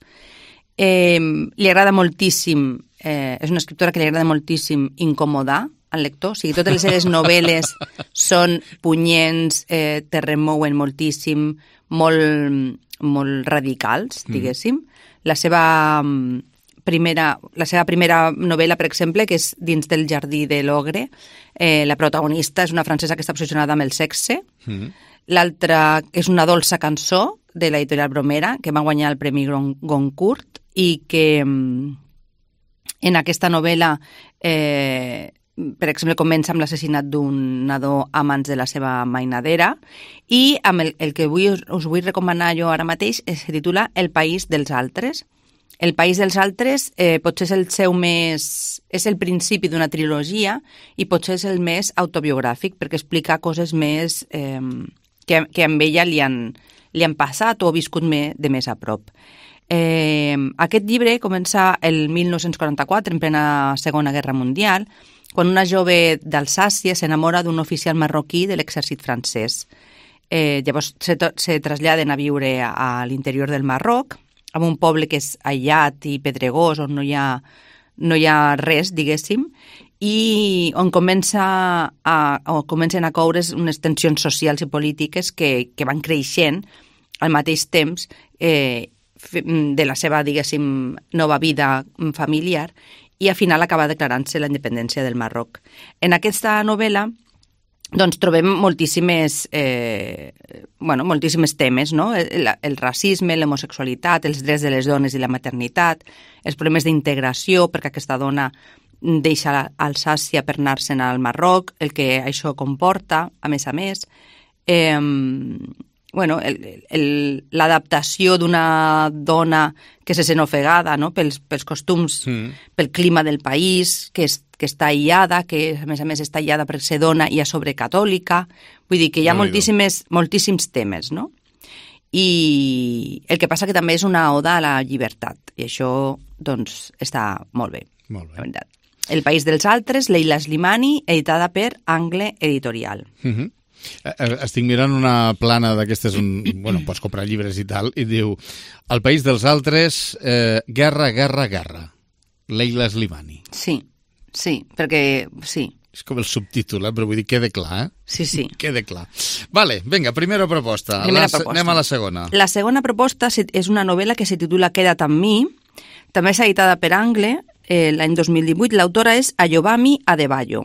Eh, li agrada moltíssim, eh, és una escriptora que li agrada moltíssim incomodar al lector, o sigui, totes les seves novel·les són punyents, eh, te remouen moltíssim, molt, molt radicals, diguéssim. Mm. La seva primera, la seva primera novel·la, per exemple, que és Dins del jardí de l'ogre, eh, la protagonista és una francesa que està obsessionada amb el sexe. Mm. L'altra és Una dolça cançó, de l'editorial Bromera, que va guanyar el Premi Goncourt i que en aquesta novel·la eh, per exemple, comença amb l'assassinat d'un nadó a mans de la seva mainadera i amb el, el que vull, us vull recomanar jo ara mateix es titula El país dels altres. El país dels altres eh, potser és el seu més... és el principi d'una trilogia i potser és el més autobiogràfic perquè explica coses més eh, que, que amb ella li han, li han passat o viscut me, de més a prop. Eh, aquest llibre comença el mil nou-cents quaranta-quatre, en plena Segona Guerra Mundial, quan una jove d'Alsàcia s'enamora d'un oficial marroquí de l'exèrcit francès. Eh, llavors se, se traslladen a viure a, a l'interior del Marroc, en un poble que és aïllat i pedregós, on no hi ha, no hi ha res, diguéssim, i on comença a, on comencen a coure's unes tensions socials i polítiques que, que van creixent al mateix temps eh, de la seva, diguéssim, nova vida familiar i al final acaba declarant-se la independència del Marroc. En aquesta novel·la doncs, trobem moltíssimes, eh, bueno, moltíssimes temes, no? El, el racisme, l'homosexualitat, els drets de les dones i la maternitat, els problemes d'integració, perquè aquesta dona deixa Alsàcia per anar-se'n al Marroc, el que això comporta, a més a més, eh, bueno, l'adaptació d'una dona que se sent ofegada, no? pels, pels costums, mm. pel clima del país, que, és, que està aïllada, que a més a més està aïllada per ser dona i a sobre catòlica. Vull dir que hi ha no moltíssimes, moltíssims temes, no? I el que passa que també és una oda a la llibertat, i això, doncs, està molt bé. Molt bé. La veritat. El país dels altres, Leila Slimani, editada per Angle Editorial. Mm-hmm. Estic mirant una plana d'aquestes on, bueno, pots comprar llibres i tal, i diu, El país dels altres, eh, guerra, guerra, guerra. Leila Slimani. Sí, sí, perquè sí. És com el subtítol, eh? Però vull dir, queda clar, eh? Sí, sí. Queda clar. Vale, vinga, primera proposta. Primera la, proposta. Anem a la segona. La segona proposta és una novel·la que se titula Queda't amb mi, també és editada per Angle, eh, l'any dos mil divuit. L'autora és Ayobami Adebayo.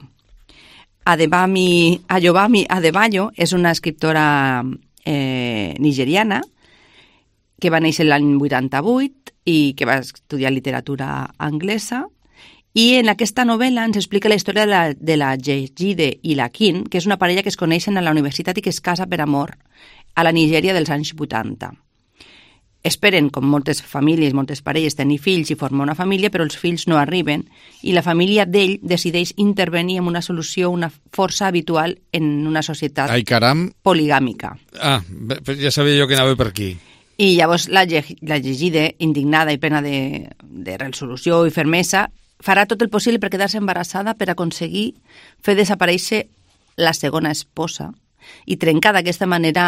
Adebami, Ayobami Adebayo és una escriptora eh, nigeriana que va néixer l'any vuitanta-vuit i que va estudiar literatura anglesa, i en aquesta novel·la ens explica la història de la, de la Jejide i la Kin, que és una parella que es coneixen a la universitat i que es casa per amor a la Nigèria dels anys vuitanta. Esperen, com moltes famílies, moltes parelles, tenir fills i formar una família, però els fills no arriben i la família d'ell decideix intervenir en una solució, una força habitual en una societat Ai, caram. poligàmica. Ah, ja sabia jo que anava per aquí. I llavors la, la Jejide, indignada i plena de, de resolució i fermesa, farà tot el possible per quedar-se embarassada per aconseguir fer desaparèixer la segona esposa i trencar d'aquesta manera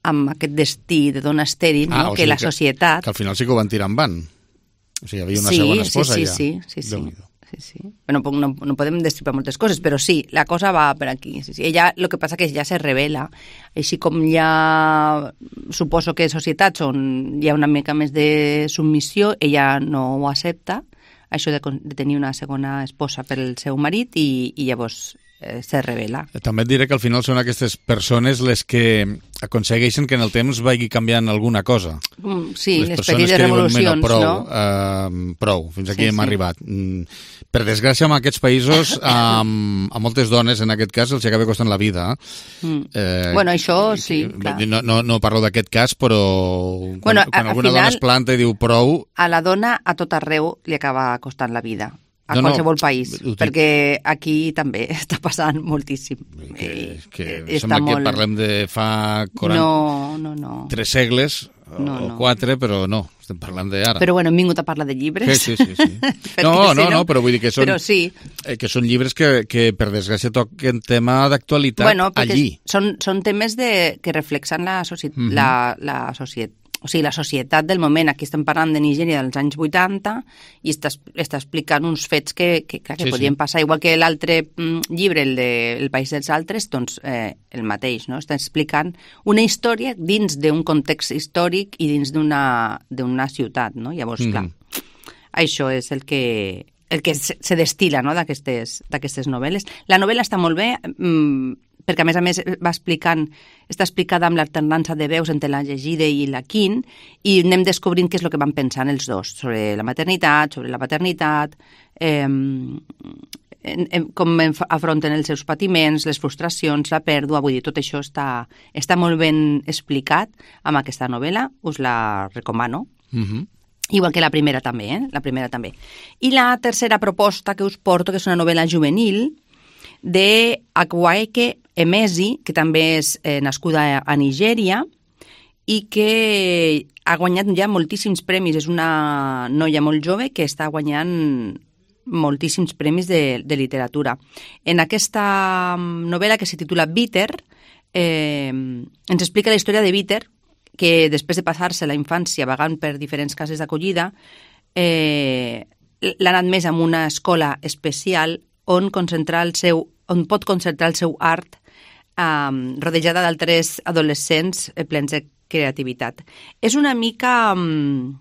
amb aquest destí de dona estèril, ah, no? O que sigui la societat... Que, que al final sí que ho van tirar en van. O sigui, hi havia una sí, segona esposa sí, ja. Sí, sí, sí. sí, sí. Bueno, no, no podem destripar moltes coses, però sí, la cosa va per aquí. Sí, sí. Ella, el que passa que ja se revela, així com ja suposo que societats on hi ha una mica més de submissió, ella no ho accepta, això de, de tenir una segona esposa per el seu marit, i, i llavors eh, se revela. També et diré que al final són aquestes persones les que aconsegueixen que en el temps vagi canviant alguna cosa. Mm, sí, les, les petites revolucions, prou, no? Uh, prou, fins aquí sí, hem sí. arribat. Mm, per desgràcia, en aquests països, um, a moltes dones, en aquest cas, els acaba costant la vida. Mm. Eh, bueno, això sí, clar. No, no, no parlo d'aquest cas, però quan, bueno, quan alguna final, dona es planta i diu prou... A la dona a tot arreu li acaba costant la vida. A no, qualsevol no, país, ho, perquè aquí també està passant moltíssim. Que, que eh, sembla molt... que parlem de fa quaranta... No, no, no. Tres segles no, o no. quatre, però no, estem parlant d'ara. Però bueno, hem vingut a parlar de llibres. Sí, sí, sí. sí. no, no, no, no, però vull dir que són, sí. eh, que són llibres que, que per desgràcia toquen tema d'actualitat bueno, allí. Són, són temes de, que reflexen la, soci... mm -hmm. la, la societat. O sigui, la societat del moment. Aquí estem parlant de Nigèria dels anys vuitanta i està, està explicant uns fets que, que, clar, que sí, podien sí. passar. Igual que l'altre mm, llibre, el de El país dels altres, doncs eh, el mateix, no? Està explicant una història dins d'un context històric i dins d'una d'una ciutat, no? Llavors, mm. clar, això és el que, el que se, se destila, no?, d'aquestes novel·les. La novel·la està molt bé, mm, perquè a més a més va explicant, està explicada amb l'alternança de veus entre la llegida i la Quint, i anem descobrint què és el que van pensant els dos sobre la maternitat, sobre la paternitat, eh, com afronten els seus patiments, les frustracions, la pèrdua, vull dir, tot això està, està molt ben explicat amb aquesta novel·la, us la recomano. Mm-hmm. Igual que la primera també, eh? La primera també. I la tercera proposta que us porto, que és una novel·la juvenil, de Akwaeke Emezi, que també és eh, nascuda a Nigèria i que ha guanyat ja moltíssims premis. És una noia molt jove que està guanyant moltíssims premis de, de literatura. En aquesta novel·la, que se titula Bitter, eh, ens explica la història de Bitter, que després de passar-se la infància vagant per diferents cases d'acollida, eh, l'han admès en una escola especial on concentrar el seu on pot concentrar el seu art um, rodejada d'altres adolescents plens de creativitat. És una mica um,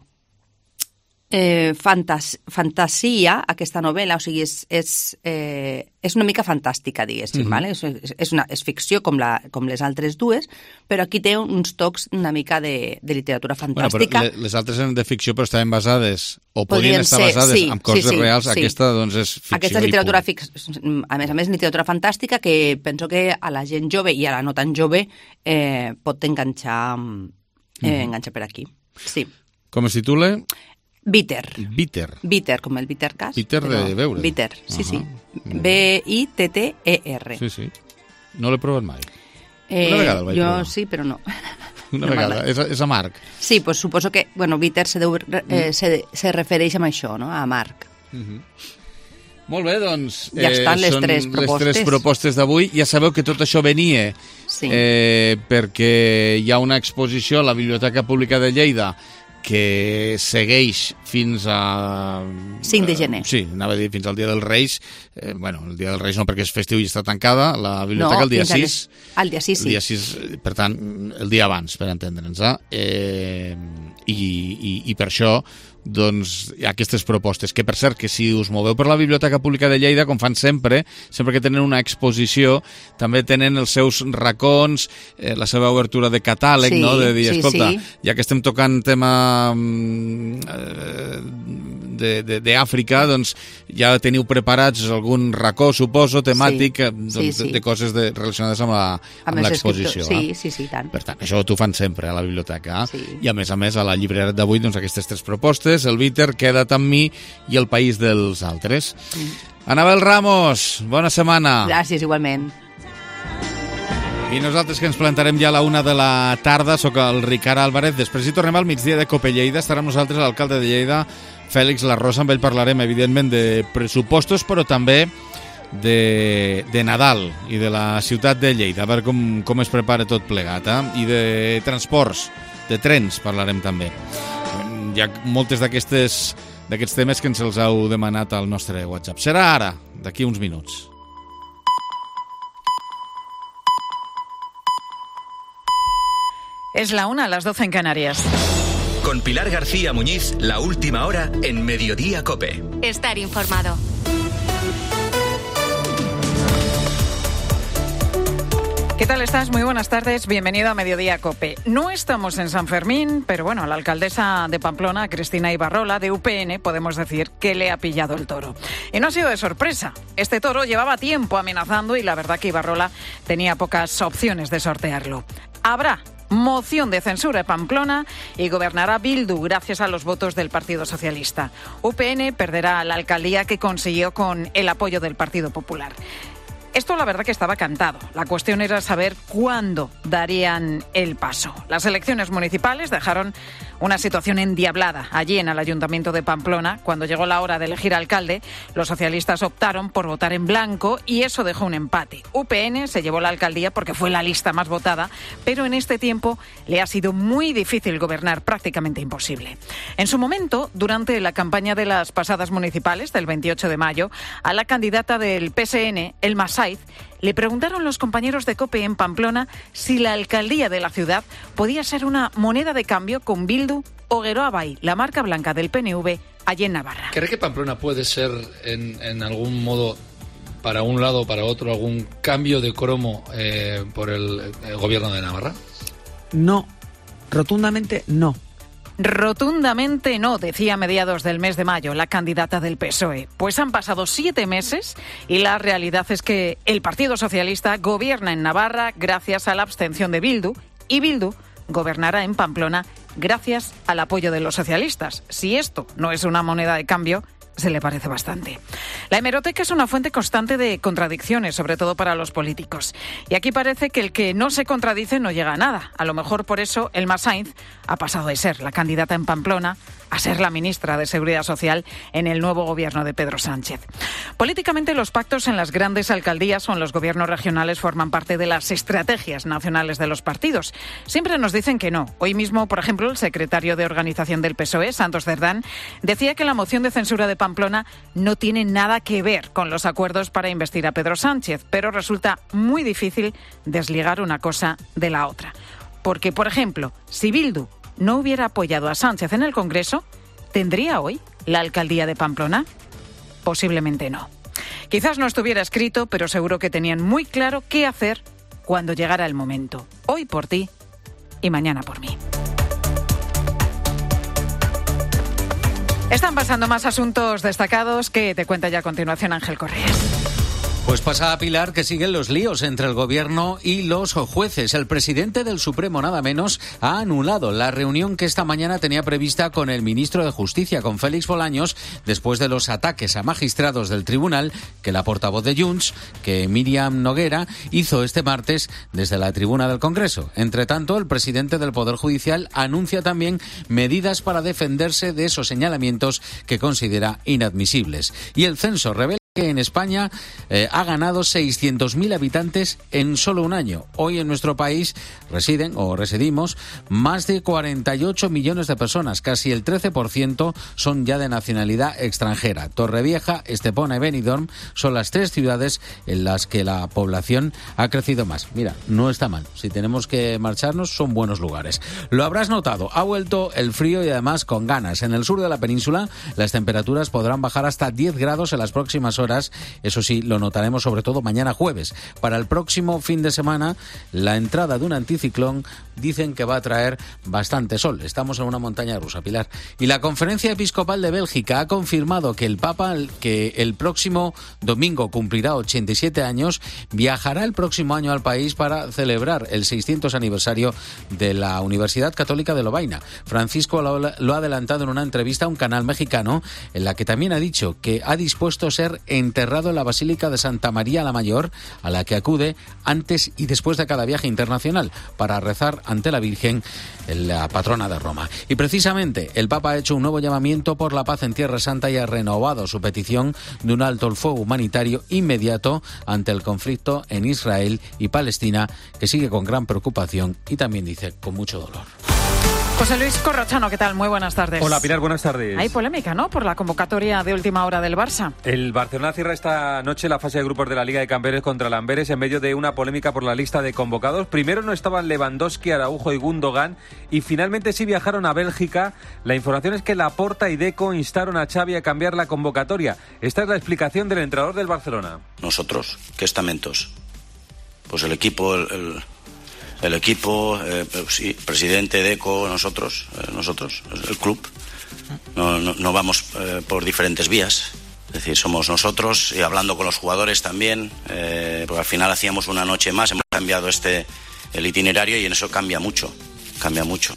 eh, fantas fantasia, aquesta novel·la, o sigui, és, és, eh, és una mica fantàstica, diguéssim, mm-hmm. vale? és, és, una, és ficció com, la, com les altres dues, però aquí té uns tocs una mica de, de literatura fantàstica. Bueno, però les altres eren de ficció, però estaven basades, o podrien, podrien estar ser, basades sí, en coses sí, sí, reals, sí. Aquesta doncs és ficció. Aquesta és literatura, fic... a més a més, literatura fantàstica que penso que a la gent jove i a la no tan jove eh, pot enganxar, eh, mm-hmm. enganxar per aquí. Sí. Com es titula? Bitter. Bitter. Bitter, com el bitter cas. Bitter de veure. Bitter, sí, uh-huh. sí. B I T T E R. Sí, sí. No l'he provat mai. Eh, Una vegada el vaig jo provar. sí, però no. Una no vegada. És, és amarg. Sí, pues suposo que, bueno, bitter se, deu, eh, se, se refereix a això, no? A amarg. Uh-huh. Molt bé, doncs... Ja eh, estan les tres propostes. Les tres propostes d'avui. Ja sabeu que tot això venia sí. eh, perquè hi ha una exposició a la Biblioteca Pública de Lleida que segueix fins a... cinc de gener. Eh, sí, anava a dir fins al Dia dels Reis. Eh, bueno, el Dia dels Reis no, perquè és festiu i està tancada. La biblioteca no, el dia sis. El dia sis, sí. El dia sis, per tant, el dia abans, per entendre'ns. Eh? I, i, I per això doncs hi ha aquestes propostes, que per cert que si us moveu per la Biblioteca Pública de Lleida, com fan sempre, sempre que tenen una exposició també tenen els seus racons, eh, la seva obertura de catàleg, sí, no? De dir, sí, escolta, sí. ja que estem tocant tema eh, d'Àfrica, doncs ja teniu preparats algun racó, suposo, temàtic, sí, doncs, sí, sí. De, de coses de, relacionades amb la, amb amb l'exposició. Sí, sí, sí, tant. Per tant, això t'ho fan sempre a la biblioteca. Sí. I a més a més, a la llibrera d'avui, doncs aquestes tres propostes, el Bitter, Queda't amb mi i El país dels altres. Mm. Anabel Ramos, bona setmana. Gràcies, igualment. I nosaltres que ens plantarem ja a la una de la tarda, sóc el Ricard Álvarez. Després hi tornem al migdia de Cope Lleida. Estarà amb nosaltres l'alcalde de Lleida, Fèlix Larrosa. Amb ell parlarem, evidentment, de pressupostos, però també de, de Nadal i de la ciutat de Lleida, a veure com, com es prepara tot plegat. Eh? I de transports, de trens, parlarem també. Hi ha moltes d'aquestes d'aquests temes que ens els heu demanat al nostre WhatsApp. Serà ara, d'aquí uns minuts. Es la una, a las doce en Canarias. Con Pilar García Muñiz, la última hora en Mediodía COPE. Estar informado. ¿Qué tal estás? Muy buenas tardes, bienvenido a Mediodía COPE. No estamos en San Fermín, pero bueno, la alcaldesa de Pamplona, Cristina Ibarrola, de U P N, podemos decir que le ha pillado el toro. Y no ha sido de sorpresa. Este toro llevaba tiempo amenazando y la verdad que Ibarrola tenía pocas opciones de sortearlo. Habrá moción de censura en Pamplona y gobernará Bildu gracias a los votos del Partido Socialista. U P N perderá la alcaldía que consiguió con el apoyo del Partido Popular. Esto la verdad que estaba cantado. La cuestión era saber cuándo darían el paso. Las elecciones municipales dejaron una situación endiablada allí en el Ayuntamiento de Pamplona. Cuando llegó la hora de elegir alcalde, los socialistas optaron por votar en blanco y eso dejó un empate. U P N se llevó la alcaldía porque fue la lista más votada, pero en este tiempo le ha sido muy difícil gobernar, prácticamente imposible. En su momento, durante la campaña de las pasadas municipales del veintiocho de mayo, a la candidata del P S N, Elma Saiz, le preguntaron los compañeros de COPE en Pamplona si la alcaldía de la ciudad podía ser una moneda de cambio con Bildu o Geroa Bai, la marca blanca del P N V, allí en Navarra. ¿Cree que Pamplona puede ser, en, en algún modo, para un lado o para otro, algún cambio de cromo eh, por el, el gobierno de Navarra? No, rotundamente no. Rotundamente no, decía a mediados del mes de mayo la candidata del P S O E. Pues han pasado siete meses y la realidad es que el Partido Socialista gobierna en Navarra gracias a la abstención de Bildu y Bildu gobernará en Pamplona gracias al apoyo de los socialistas. Si esto no es una moneda de cambio, se le parece bastante. La hemeroteca es una fuente constante de contradicciones, sobre todo para los políticos. Y aquí parece que el que no se contradice no llega a nada. A lo mejor por eso Elma Saiz ha pasado de ser la candidata en Pamplona a ser la ministra de Seguridad Social en el nuevo gobierno de Pedro Sánchez. Políticamente, los pactos en las grandes alcaldías o en los gobiernos regionales forman parte de las estrategias nacionales de los partidos. Siempre nos dicen que no. Hoy mismo, por ejemplo, el secretario de Organización del P S O E, Santos Cerdán, decía que la moción de censura de Pamplona no tiene nada que ver con los acuerdos para investir a Pedro Sánchez, pero resulta muy difícil desligar una cosa de la otra. Porque, por ejemplo, si Bildu no hubiera apoyado a Sánchez en el Congreso, ¿tendría hoy la alcaldía de Pamplona? Posiblemente no. Quizás no estuviera escrito, pero seguro que tenían muy claro qué hacer cuando llegara el momento. Hoy por ti y mañana por mí. Están pasando más asuntos destacados que te cuenta ya a continuación Ángel Correas. Pues pasa a Pilar que siguen los líos entre el gobierno y los jueces. El presidente del Supremo, nada menos, ha anulado la reunión que esta mañana tenía prevista con el ministro de Justicia, con Félix Bolaños, después de los ataques a magistrados del tribunal que la portavoz de Junts, que Míriam Noguera, hizo este martes desde la tribuna del Congreso. Entre tanto, el presidente del Poder Judicial anuncia también medidas para defenderse de esos señalamientos que considera inadmisibles. Y el censo revela que en España eh, ha ganado seiscientos mil habitantes en solo un año. Hoy en nuestro país residen o residimos más de cuarenta y ocho millones de personas, casi el trece por ciento son ya de nacionalidad extranjera. Torrevieja, Estepona y Benidorm son las tres ciudades en las que la población ha crecido más. Mira, no está mal. Si tenemos que marcharnos, son buenos lugares. Lo habrás notado, ha vuelto el frío y además con ganas. En el sur de la península las temperaturas podrán bajar hasta diez grados en las próximas horas. Eso sí, lo notaremos sobre todo mañana jueves. Para el próximo fin de semana, la entrada de un anticiclón dicen que va a traer bastante sol. Estamos en una montaña rusa, Pilar. Y la Conferencia Episcopal de Bélgica ha confirmado que el Papa, que el próximo domingo cumplirá ochenta y siete años, viajará el próximo año al país para celebrar el seiscientos aniversario de la Universidad Católica de Lovaina. Francisco lo ha adelantado en una entrevista a un canal mexicano en la que también ha dicho que ha dispuesto a ser enterrado en la Basílica de Santa María la Mayor, a la que acude antes y después de cada viaje internacional para rezar ante la Virgen, la patrona de Roma. Y precisamente el Papa ha hecho un nuevo llamamiento por la paz en Tierra Santa y ha renovado su petición de un alto el fuego humanitario inmediato ante el conflicto en Israel y Palestina, que sigue con gran preocupación y también dice con mucho dolor. José Luis Corrochano, ¿qué tal? Muy buenas tardes. Hola Pilar, buenas tardes. Hay polémica, ¿no?, por la convocatoria de última hora del Barça. El Barcelona cierra esta noche la fase de grupos de la Liga de Campeones contra el Amberes en medio de una polémica por la lista de convocados. Primero no estaban Lewandowski, Araujo y Gundogan y finalmente sí viajaron a Bélgica. La información es que Laporta y Deco instaron a Xavi a cambiar la convocatoria. Esta es la explicación del entrenador del Barcelona. Nosotros, ¿qué estamentos? Pues el equipo, el... el... El equipo, eh, sí, presidente, Deco, nosotros, eh, nosotros, el club. No, no, no vamos eh, por diferentes vías. Es decir, somos nosotros y hablando con los jugadores también, eh, porque al final hacíamos una noche más, hemos cambiado este el itinerario y en eso cambia mucho, cambia mucho.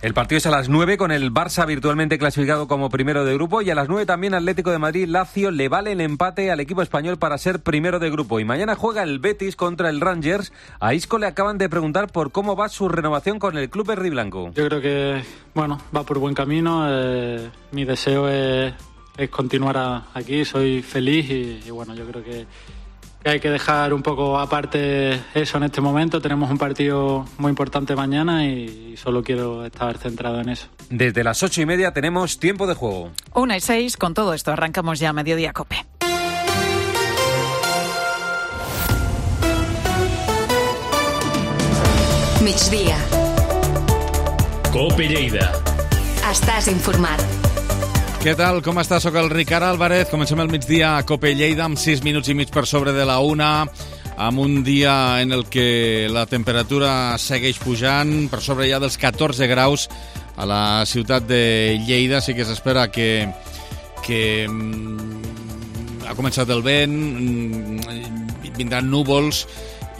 El partido es a las nueve con el Barça virtualmente clasificado como primero de grupo y a las nueve también Atlético de Madrid Lazio le vale el empate al equipo español para ser primero de grupo. Y mañana juega el Betis contra el Rangers. A Isco le acaban de preguntar por cómo va su renovación con el club verdiblanco. Yo creo que bueno va por buen camino. Eh, mi deseo es, es continuar a, aquí. Soy feliz y, y bueno yo creo que hay que dejar un poco aparte eso en este momento. Tenemos un partido muy importante mañana y solo quiero estar centrado en eso. Desde las ocho y media tenemos tiempo de juego. Una y seis, con todo esto arrancamos ya a Mediodía Cope. Migdia. Cope Lleida. Estàs informat. Què tal? Com està? Soc el Ricard Álvarez. Comencem el migdia a Cope Lleida amb sis minuts i mig per sobre de la una, amb un dia en el que la temperatura segueix pujant, per sobre ja dels catorze graus a la ciutat de Lleida. Sí que s'espera que, que ha començat el vent, vindran núvols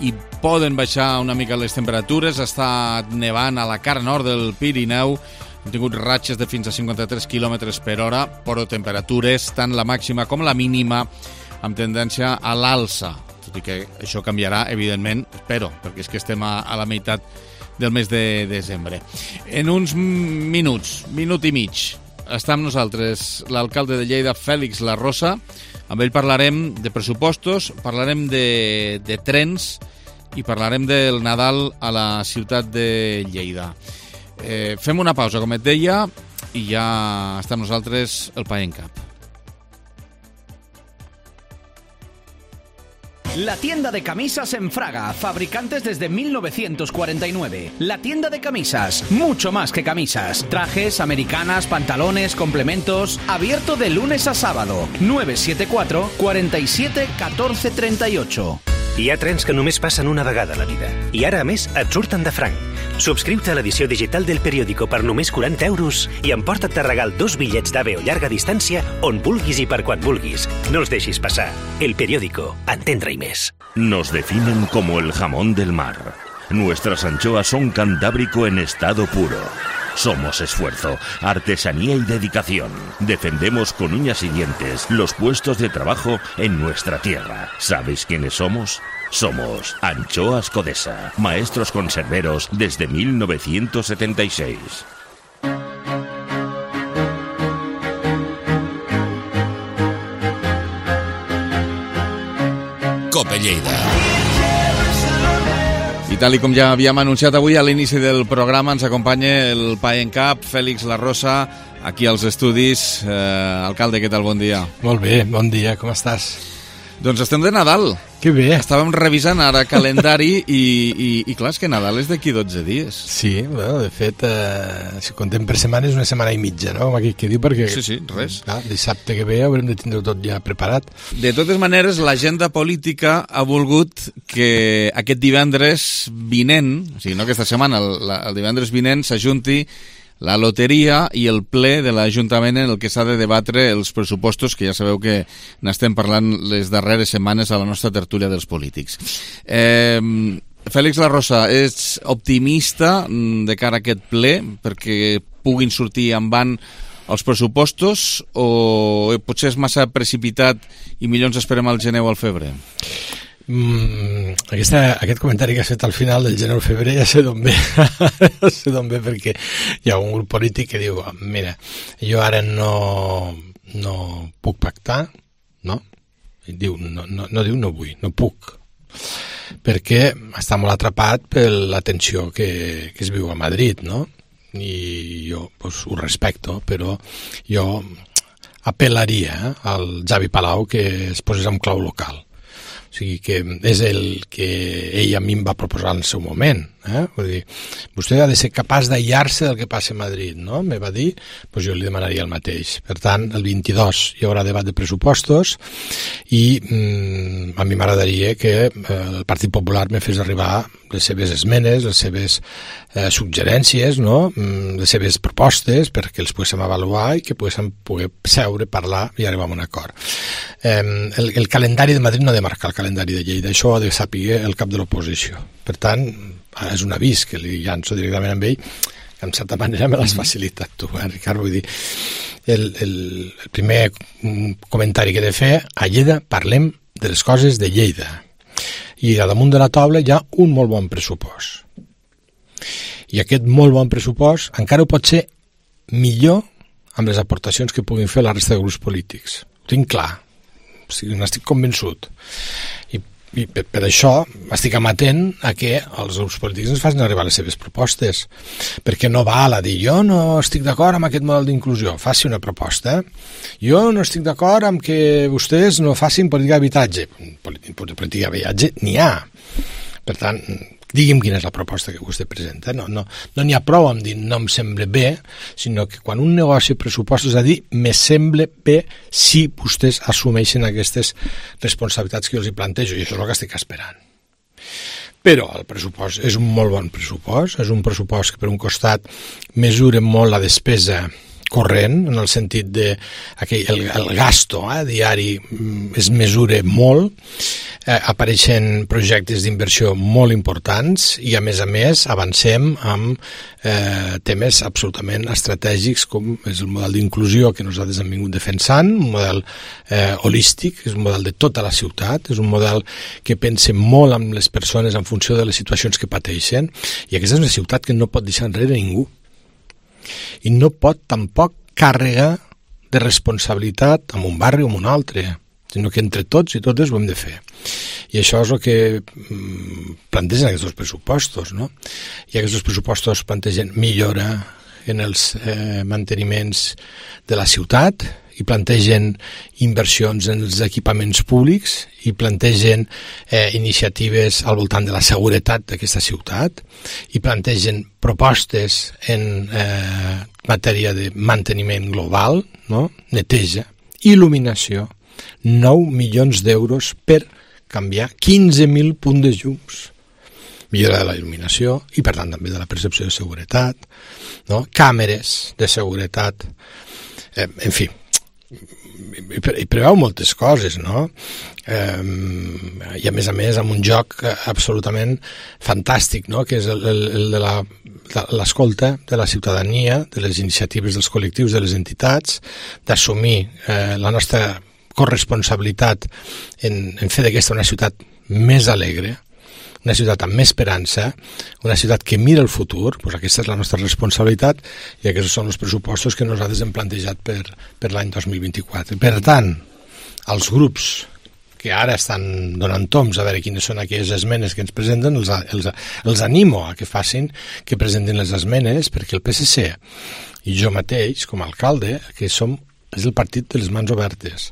i poden baixar una mica les temperatures. Està nevant a la cara nord del Pirineu. Hem tingut ratxes de fins a cinquanta-tres quilòmetres per hora, però temperatures, tant la màxima com la mínima, amb tendència a l'alça. Tot i que això canviarà, evidentment, espero, perquè és que estem a, a la meitat del mes de desembre. En uns minuts, minut i mig, està amb nosaltres l'alcalde de Lleida, Fèlix Larrosa. Amb ell parlarem de pressupostos, parlarem de, de trens i parlarem del Nadal a la ciutat de Lleida. Eh, fem una pausa, com et deia, i ja està amb nosaltres el PAENCAP. La tienda de camisas en Fraga, fabricantes desde mil novecientos cuarenta y nueve. La tienda de camisas, mucho más que camisas. Trajes, americanas, pantalones, complementos. Abierto de lunes a sábado. nueve siete cuatro, cuatro siete, uno cuatro tres ocho. Hi ha trens que només passen una vegada a la vida. I ara, a més, et surten de franc. Subscriu-te a l'edició digital del periòdico per només quaranta euros i emporta't de regal dos bitllets d'AVE o llarga distància on vulguis i per quan vulguis. No els deixis passar. El periódico. Entendre i més. Nos definen como el jamón del mar. Nuestras anchoas son cantábrico en estado puro. Somos esfuerzo, artesanía y dedicación. Defendemos con uñas y dientes los puestos de trabajo en nuestra tierra. ¿Sabéis quiénes somos? Somos Anchoas Codesa, maestros conserveros desde mil novecientos setenta y seis. Cope Lleida. I tal i com ja havíem anunciat avui a l'inici del programa, ens acompanya el PAENCAP, Fèlix Larrosa, aquí als estudis. Eh, alcalde, què tal? Bon dia. Molt bé, bon dia, com estàs? Doncs estem de Nadal. Que bé. Estàvem revisant ara calendari i, i, i clar, és que Nadal és d'aquí dotze dies. Sí, bueno, de fet, eh, si contem per setmana és una setmana i mitja, no? Com aquí que diu, perquè sí, sí, res. Clar, dissabte que ve haurem de tindre tot ja preparat. De totes maneres, l'agenda política ha volgut que aquest divendres vinent, o sigui, no aquesta setmana, el, el divendres vinent s'ajunti la loteria i el ple de l'Ajuntament en el que s'ha de debatre els pressupostos, que ja sabeu que n'estem parlant les darreres setmanes a la nostra tertúlia dels polítics. Eh, Fèlix Larrosa, és optimista de cara a aquest ple perquè puguin sortir en van els pressupostos o potser és massa precipitat i millor ens esperem al gener o al febrer? Mm, aquesta, aquest comentari que has fet al final del gener o febrer ja sé d'on ve ja sé d'on ve, perquè hi ha un grup polític que diu, mira, jo ara no, no puc pactar, no? I diu, no, no, no diu no vull, no puc, perquè està molt atrapat per la tensió que, que es viu a Madrid, no? I jo pues, ho respecto, però jo apel·laria al Javi Palau que es posés en clau local. O sigui que és el que ell a mi em va proposar en el seu moment. Eh? Vull dir, vostè ha de ser capaç d'aïllar-se del que passa a Madrid, no? Me va dir, doncs jo li demanaria el mateix. Per tant, el vint-i-dos hi haurà debat de pressupostos i mm, a mi m'agradaria que eh, el Partit Popular me fes arribar les seves esmenes, les seves eh, suggerències, no? mm, les seves propostes perquè els poguéssim avaluar i que poguéssim poder seure, parlar i arribar a un acord. Eh, el, el calendari de Madrid no ha de marcar el calendari de Lleida, això ha de saber el cap de l'oposició. Per tant, és un avís que li llanço directament amb ell, que en certa manera me l'has facilitat tu, eh, Ricard? Vull dir, el, el, el primer comentari que he de fer, a Lleida parlem de les coses de Lleida. I a damunt de la taula hi ha un molt bon pressupost. I aquest molt bon pressupost encara ho pot ser millor amb les aportacions que puguin fer la resta de grups polítics. Ho tinc clar, o sigui, n'estic convençut. I I per, per això estic amatent a que els grups polítics ens facin arribar les seves propostes, perquè no val a dir jo no estic d'acord amb aquest model d'inclusió, faci una proposta. Jo no estic d'acord amb que vostès no facin política d'habitatge. Política d'habitatge n'hi ha. Per tant, digui'm quina és la proposta que vostè presenta. No no, no n'hi ha prou amb dir no em sembla bé, sinó que quan un negoci pressupostos ha de dir me sembla bé si vostès assumeixen aquestes responsabilitats que jo els hi plantejo, i això és el que estic esperant. Però el pressupost és un molt bon pressupost, és un pressupost que per un costat mesura molt la despesa corrent, en el sentit de aquell, el, el gasto eh, diari es mesura molt, eh, apareixen projectes d'inversió molt importants i a més a més avancem amb eh, temes absolutament estratègics com és el model d'inclusió que nosaltres hem vingut defensant, un model eh, holístic, és un model de tota la ciutat, és un model que pensa molt en les persones en funció de les situacions que pateixen, i aquesta és una ciutat que no pot deixar enrere ningú. I no pot tampoc càrrega de responsabilitat en un barri o en un altre, sinó que entre tots i totes ho hem de fer. I això és el que plantegen aquests pressupostos, no? I aquests pressupostos plantegen millora en els eh, manteniments de la ciutat, i plantegen inversions en els equipaments públics i plantegen eh, iniciatives al voltant de la seguretat d'aquesta ciutat i plantegen propostes en eh, matèria de manteniment global, no? Neteja, il·luminació, nou milions d'euros per canviar quinze mil punts de llums, millora de la il·luminació i per tant també de la percepció de seguretat, no? Càmeres de seguretat, eh, en fi, i preveu moltes coses, no? Eh, i a més a més amb un joc absolutament fantàstic, no? Que és el, el, el de la, l'escolta de la ciutadania, de les iniciatives dels col·lectius, de les entitats, d'assumir eh, la nostra corresponsabilitat en, en fer d'aquesta una ciutat més alegre, una ciutat amb més esperança, una ciutat que mira el futur, doncs aquesta és la nostra responsabilitat i aquests són els pressupostos que nosaltres hem plantejat per, per l'any dos mil vint-i-quatre. Per tant, els grups que ara estan donant toms a veure quines són aquelles esmenes que ens presenten, els, els, els animo a que facin, que presentin les esmenes, perquè el P S C i jo mateix, com a alcalde, que som, és el partit de les mans obertes,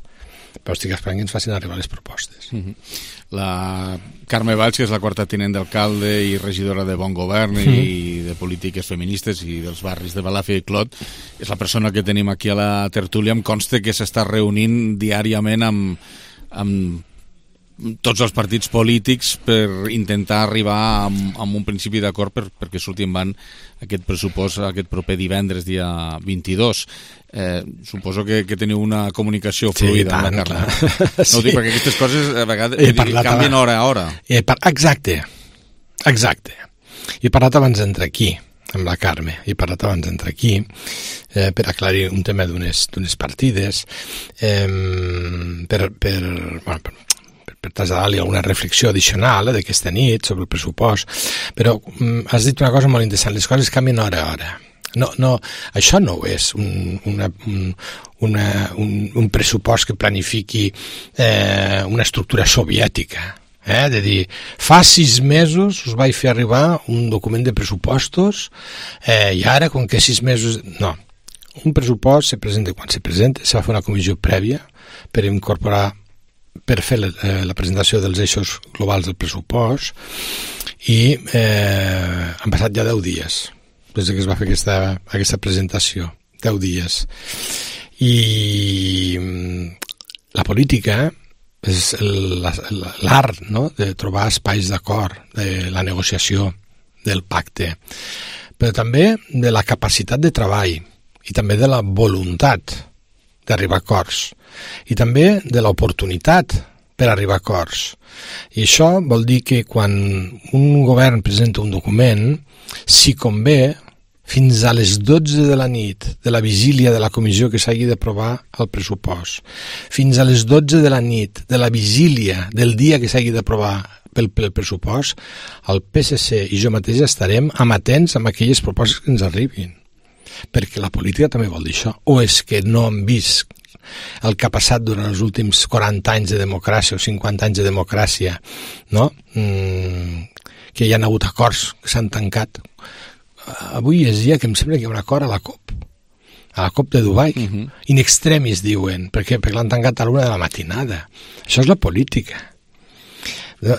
però estic esperant que ens facin arribar les propostes. Mm-hmm. La Carme Valls, que és la quarta tinent d'alcalde i regidora de Bon Govern mm-hmm. i de polítiques feministes i dels barris de Balàfia i Clot, és la persona que tenim aquí a la tertúlia. Em consta que s'està reunint diàriament amb, amb tots els partits polítics per intentar arribar a, a un principi d'acord per, perquè surti en van aquest pressupost aquest proper divendres, dia vint-i-dos. Eh, suposo que, que teniu una comunicació fluida, sí, amb la Carla. No sí. Ho dic perquè aquestes coses a vegades canvien hora a hora. Exacte, exacte. He parlat abans d'entrar aquí, amb la Carme, he parlat abans d'entrar aquí. eh, per aclarir un tema d'unes partides, eh, per, per, bueno, per, per traslladar-li alguna reflexió addicional eh, d'aquesta nit sobre el pressupost, però mm, has dit una cosa molt interessant, les coses canvien hora a hora. No, no, això no és un, una, un, una, un, un pressupost que planifiqui eh, una estructura soviètica, eh? De dir, fa sis mesos us vaig fer arribar un document de pressupostos eh, i ara, com que sis mesos... No, un pressupost se presenta quan se presenta, se va fer una comissió prèvia per incorporar, per fer la, eh, la presentació dels eixos globals del pressupost i eh, han passat ja deu dies des que es va fer aquesta, aquesta presentació, deu dies. I la política és l'art, no?, de trobar espais d'acord, de la negociació, del pacte, però també de la capacitat de treball i també de la voluntat d'arribar a acords i també de l'oportunitat per arribar a acords. I això vol dir que quan un govern presenta un document, si convé, fins a les dotze de la nit de la vigília de la comissió que s'hagi d'aprovar el pressupost, fins a les dotze de la nit de la vigília del dia que s'hagi d'aprovar pel, pel pressupost, el P S C i jo mateix estarem amatents amb aquelles propostes que ens arribin. Perquè la política també vol dir això. O és que no han vist el que ha passat durant els últims quaranta anys de democràcia o cinquanta anys de democràcia, no? Mm, que hi ha hagut acords que s'han tancat. Avui és dia que em sembla que hi ha un acord a la COP, a la COP de Dubai, uh-huh. in extremis diuen, perquè, perquè l'han tancat a l'una de la matinada. Això és la política.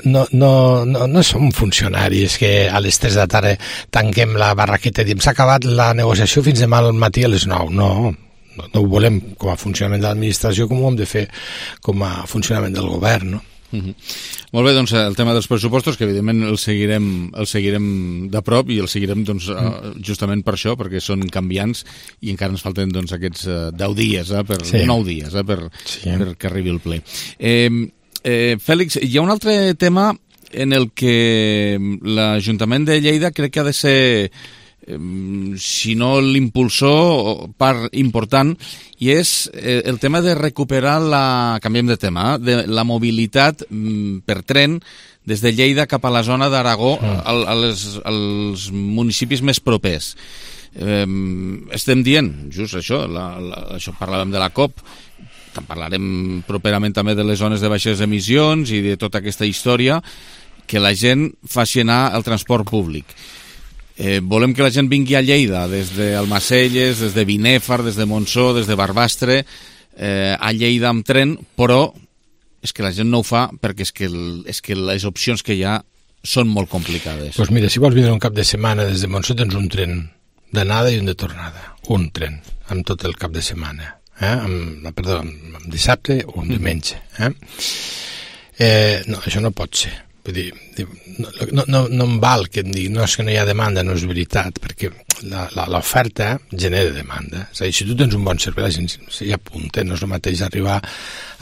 No, no, no, no som funcionaris que a les tres de la tarda tanquem la barraqueta i diem s'ha acabat la negociació fins demà al matí a les nou. No, no, no ho volem com a funcionament de l'administració, com ho hem de fer com a funcionament del govern, no? Uh-huh. Molt bé, doncs el tema dels pressupostos, que evidentment el seguirem, el seguirem de prop i el seguirem doncs, uh, justament per això, perquè són canviants i encara ens falten doncs, aquests uh, deu dies, eh, per, sí. nou dies, eh, per, sí. per que arribi el ple. Eh, eh, Fèlix, hi ha un altre tema en el que l'Ajuntament de Lleida crec que ha de ser, eh, si no l'impulsor, part important, i és el tema de recuperar la, canviem de tema, de la mobilitat per tren des de Lleida cap a la zona d'Aragó, mm. als, als municipis més propers. Eh, estem dient, just això, la, la, això parlàvem de la COP, parlarem properament també de les zones de baixes emissions i de tota aquesta història, que la gent faci anar el transport públic. Eh, volem que la gent vingui a Lleida des d'Almacelles, des de Binèfar, des de Montsó, des de Barbastre, eh, a Lleida amb tren, però és que la gent no ho fa perquè és que, el, és que les opcions que hi ha són molt complicades. Doncs pues mira, si vols vindre un cap de setmana des de Montsó tens un tren d'anada i un de tornada. Un tren, amb tot el cap de setmana. Eh? Amb, perdó, amb, amb dissabte o un diumenge. Eh? Eh, no, això no pot ser. Vull dir, no, no, no em val que em digui no, és que no hi ha demanda, no és veritat, perquè l'oferta genera demanda. És a dir, si tu tens un bon servei, la gent s'hi apunta, no és el mateix arribar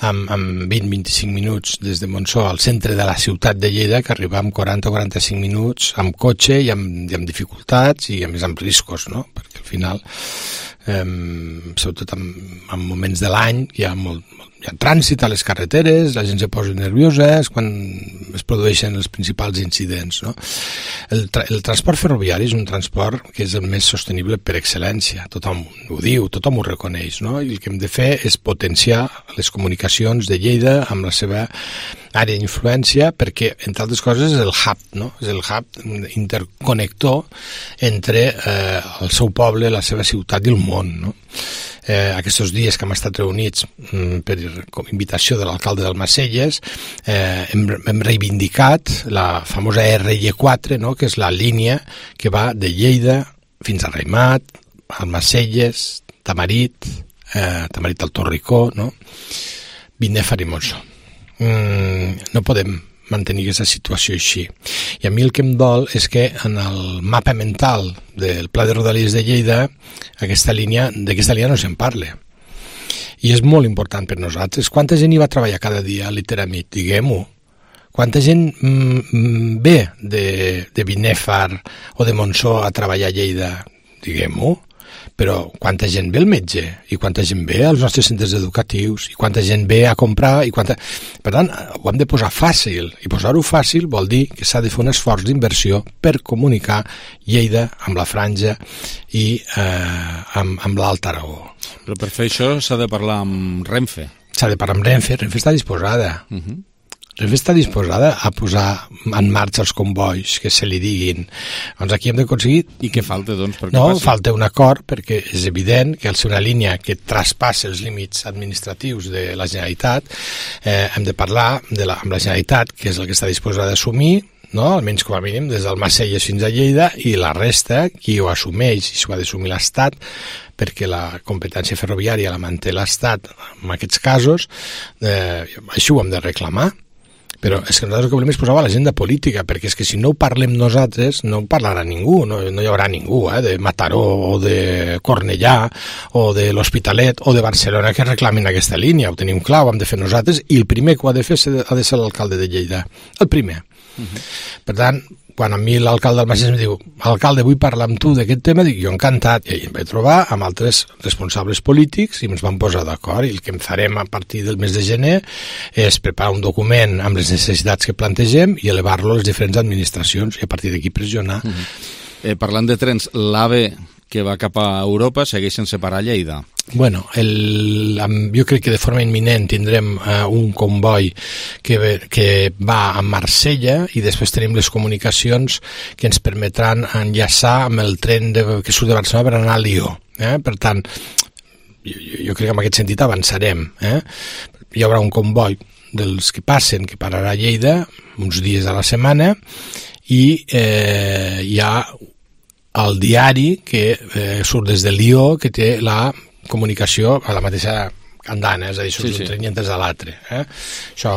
amb, amb vint a vint-i-cinc minuts des de Montsó al centre de la ciutat de Lleida que arribar amb quaranta o quaranta-cinc minuts amb cotxe i amb, i amb dificultats i a més amb riscos, no? Perquè al final, eh, sobretot en, en moments de l'any, hi ha molt, molt hi ha trànsit a les carreteres, la gent se posa nerviosa, és quan es produeixen els principals incidents, no? El, tra el transport ferroviari és un transport que és el més sostenible per excel·lència, tothom ho diu, tothom ho reconeix, no? I el que hem de fer és potenciar les comunicacions de Lleida amb la seva àrea d'influència, perquè, entre altres coses, és el hub, no? És el hub interconnector entre eh, el seu poble, la seva ciutat i el món, no? Eh, aquests dies que hem estat reunits mm, per invitació de l'alcalde d'Almacelles, eh, hem, hem reivindicat la famosa R I quatre, no? Que és la línia que va de Lleida fins a Raimat, Almacelles, Tamarit, eh, Tamarit al Torricó, no? Binèfar i Montsó. Mm, no podem mantenir aquesta situació així. I a mi el que em dol és que en el mapa mental del Pla de Rodalies de Lleida aquesta línia, d'aquesta línia no se'n parla. I és molt important per nosaltres. Quanta gent hi va treballar cada dia a l'Iteramit? Diguem-ho. Quanta gent mm, ve de, de Binèfar o de Montsó a treballar a Lleida? Diguem-ho. però quanta gent ve al metge i quanta gent ve als nostres centres educatius i quanta gent ve a comprar i quanta... Per tant, ho hem de posar fàcil, i posar-ho fàcil vol dir que s'ha de fer un esforç d'inversió per comunicar Lleida amb la Franja i eh, amb, amb l'Alt Aragó. Però per fer això s'ha de parlar amb Renfe. S'ha de parlar amb Renfe, Renfe està disposada. Uh -huh. Renfe està disposada a posar en marxa els convois que se li diguin. Doncs aquí hem d'aconseguir... I què falta, doncs? Per què no, passi? falta un acord, perquè és evident que al ser una línia que traspassa els límits administratius de la Generalitat, eh, hem de parlar de la, amb la Generalitat, que és el que està disposada a assumir, no? Almenys com a mínim des del Macelles fins a Lleida, i la resta, qui ho assumeix, i s'ho ha d'assumir l'Estat, perquè la competència ferroviària la manté l'Estat en aquests casos, eh, això ho hem de reclamar. Però és que nosaltres el que volem és posar a l'agenda política, perquè és que si no ho parlem nosaltres no ho parlarà ningú, no, no hi haurà ningú eh, de Mataró o de Cornellà o de l'Hospitalet o de Barcelona que reclamin aquesta línia. Ho tenim clar, ho hem de fer nosaltres, i el primer que ho ha de fer ha de ser l'alcalde de Lleida, el primer. Uh-huh. Per tant, quan a mi l'alcalde del Macelles em diu alcalde, vull parlar amb tu d'aquest tema, dic jo encantat, i ahir em vaig trobar amb altres responsables polítics i ens vam posar d'acord, i el que em farem a partir del mes de gener és preparar un document amb les necessitats que plantegem i elevar-lo a les diferents administracions i a partir d'aquí pressionar. Uh-huh. eh, Parlant de trens, l'AVE que va cap a Europa segueix sense parar a Lleida. Bueno, el, jo crec que de forma imminent tindrem uh, un comboi que, que va a Marsella, i després tenim les comunicacions que ens permetran enllaçar amb el tren de, que surt de Barcelona per anar a Lió. Eh? Per tant, jo, jo crec que en aquest sentit avançarem. Eh? Hi haurà un comboi dels que passen que pararà a Lleida uns dies a la setmana, i eh, hi ha el diari que eh, surt des de Lió, que té la comunicació a la mateixa andana, és a dir, surt sí, sí. d'un tren i entres a l'altre. Eh? Això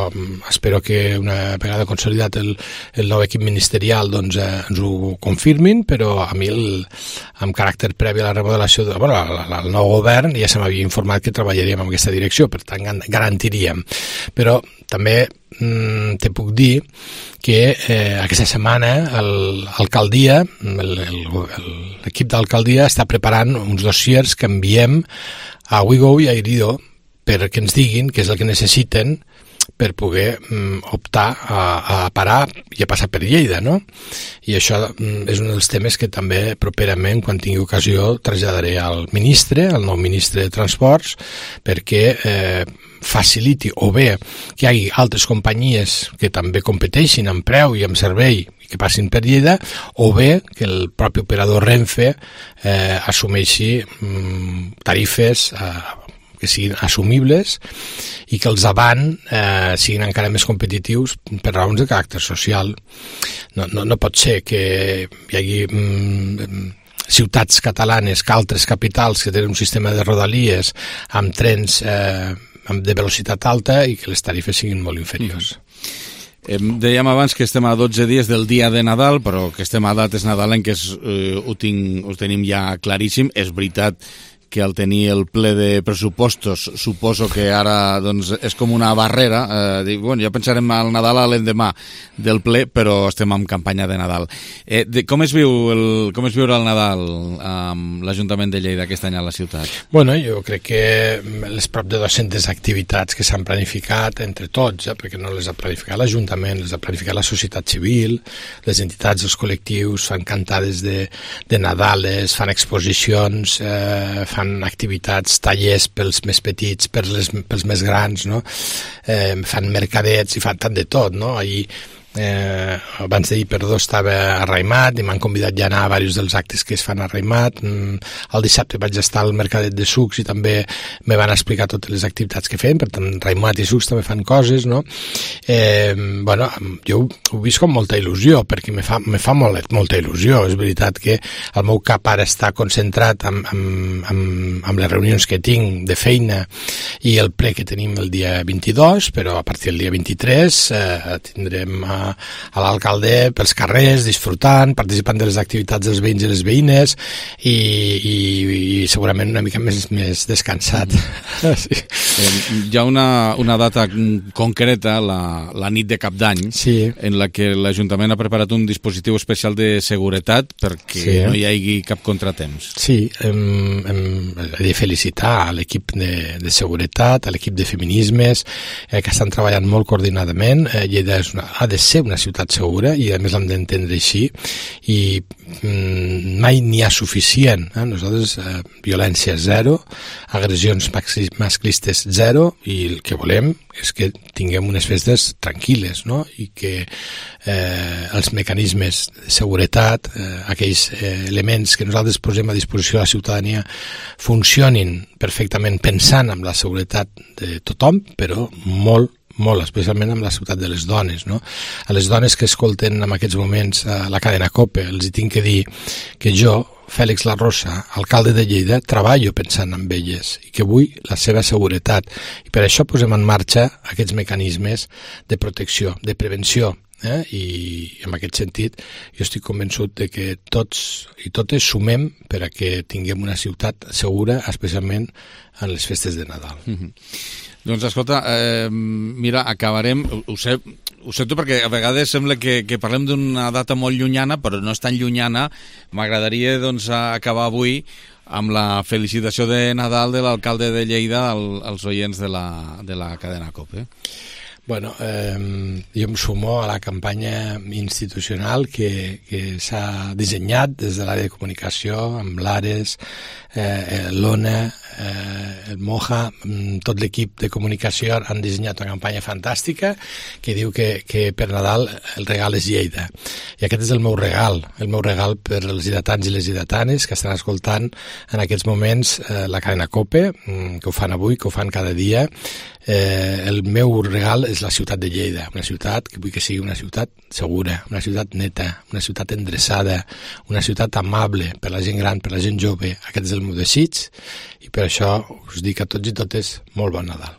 espero que una vegada consolidat el, el nou equip ministerial doncs, eh, ens ho confirmin, però a mi el, amb caràcter previ a la remodelació de, bueno, al nou govern ja se m'havia informat que treballaríem en aquesta direcció, per tant garantiríem. Però també mm, te puc dir que eh, aquesta setmana l'alcaldia, l'equip d'alcaldia està preparant uns dossiers que enviem a Wigo i a Irido perquè ens diguin què és el que necessiten per poder mm, optar a, a parar i a passar per Lleida, no? I això mm, és un dels temes que també properament, quan tingui ocasió, traslladaré al ministre, al nou ministre de Transports, perquè eh, faciliti o bé que hi hagi altres companyies que també competeixin en preu i en servei i que passin per Lleida, o bé que el propi operador Renfe eh, assumeixi mm, tarifes eh, que siguin assumibles i que els avant eh, siguin encara més competitius per raons de caràcter social. No, no, no pot ser que hi hagi mm, ciutats catalanes que altres capitals que tenen un sistema de rodalies amb trens eh, de velocitat alta i que les tarifes siguin molt inferiors. Mm. Dèiem abans que estem a dotze dies del dia de Nadal, però que estem a dates nadalenques eh, ho, tinc, ho tenim ja claríssim. És veritat que al tenir el ple de pressupostos suposo que ara doncs, és com una barrera. Eh, dic, bueno, ja pensarem al Nadal a l'endemà del ple, però estem en campanya de Nadal. Eh, de, com, es viu el, com es viurà el Nadal amb l'Ajuntament de Lleida aquest any a la ciutat? Bueno, jo crec que les prop de dues-centes activitats que s'han planificat entre tots, eh, perquè no les ha planificat l'Ajuntament, les ha planificat la societat civil, les entitats, els col·lectius, fan cantades de, de Nadales, fan exposicions, eh, fan activitats, tallers pels més petits, per les, pels més grans, no? Eh, fan mercadets i fan tant de tot, no? Ahir Eh, abans d'ahir, perdó, estava a Raimat i m'han convidat ja a anar a diversos dels actes que es fan a Raimat. Mm, el dissabte vaig estar al Mercadet de Sucs i també me van explicar totes les activitats que fem, per tant Raimat i Sucs també fan coses, no? Eh, bueno, jo ho he vist com molta il·lusió, perquè me fa, me fa molt, molta il·lusió. És veritat que el meu cap ara està concentrat amb, amb, amb, amb les reunions que tinc de feina i el ple que tenim el dia vint-i-dos, però a partir del dia vint-i-tres eh, tindrem a a l'alcalde pels carrers, disfrutant, participant de les activitats dels veïns i les veïnes i, i, i segurament una mica més, més descansat. Sí. Eh, hi ha una, una data concreta, la, la nit de Cap d'Any, sí. en la que l'Ajuntament ha preparat un dispositiu especial de seguretat perquè sí. no hi hagi cap contratemps. Sí, hem, hem de felicitar a l'equip de, de seguretat, a l'equip de feminismes, eh, que estan treballant molt coordinadament. Eh, Lleida és una, ha de ser una ciutat segura i a més l'hem d'entendre així i mm, mai n'hi ha suficient. Eh? Nosaltres, eh, violència zero, agressions masclistes zero i el que volem és que tinguem unes festes tranquil·les, no? I que eh, els mecanismes de seguretat, eh, aquells eh, elements que nosaltres posem a disposició de la ciutadania funcionin perfectament pensant en la seguretat de tothom, però molt molt, especialment amb la ciutat de les dones, no? A les dones que escolten en aquests moments a la cadena COPE, els hi tinc que dir que jo, Fèlix La Rosa, alcalde de Lleida, treballo pensant en elles i que vull la seva seguretat. I per això posem en marxa aquests mecanismes de protecció, de prevenció, eh? I en aquest sentit jo estic convençut de que tots i totes sumem per a que tinguem una ciutat segura, especialment en les festes de Nadal. Mm-hmm. Doncs escolta, eh, mira, acabarem, ho sé, ho sé tu perquè a vegades sembla que, que parlem d'una data molt llunyana, però no és tan llunyana. M'agradaria doncs acabar avui amb la felicitació de Nadal de l'alcalde de Lleida al, als oients de la, de la cadena COPE. Bueno, eh, jo em sumo a la campanya institucional que, que s'ha dissenyat des de l'àrea de comunicació, amb l'Ares, eh, l'Ona, eh, el Moja, tot l'equip de comunicació han dissenyat una campanya fantàstica que diu que, que per Nadal el regal és Lleida. I aquest és el meu regal, el meu regal per als lleidatans i les lleidatanes que estan escoltant en aquests moments eh, la cadena COPE, que ho fan avui, que ho fan cada dia. Eh, el meu regal és la ciutat de Lleida, una ciutat que vull que sigui una ciutat segura, una ciutat neta, una ciutat endreçada, una ciutat amable per la gent gran, per la gent jove. Aquest és el meu desig i per això us dic a tots i totes molt bon Nadal.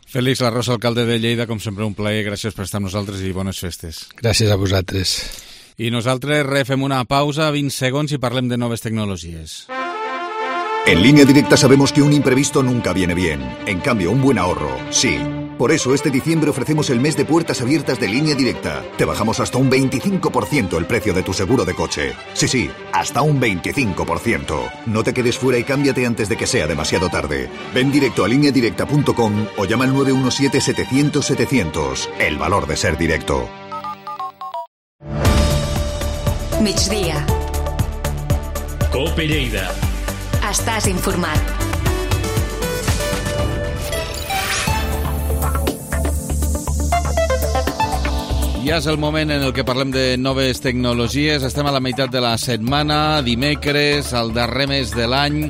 Fèlix La Rosa, alcalde de Lleida, com sempre un plaer, gràcies per estar amb nosaltres i bones festes. Gràcies a vosaltres. I nosaltres refem una pausa, vint segons, i parlem de noves tecnologies. En Línea Directa sabemos que un imprevisto nunca viene bien. En cambio, un buen ahorro, sí. Por eso, este diciembre ofrecemos el mes de puertas abiertas de Línea Directa. Te bajamos hasta un veinticinco por ciento el precio de tu seguro de coche. Sí, sí, hasta un veinticinco por ciento. No te quedes fuera y cámbiate antes de que sea demasiado tarde. Ven directo a línea directa punto com o llama al nueve uno siete setecientos setecientos. El valor de ser directo. Migdia. COPE Lleida. Estàs informat. Ja és el moment en el que parlem de noves tecnologies. Estem a la meitat de la setmana, dimecres, al darrer mes de l'any,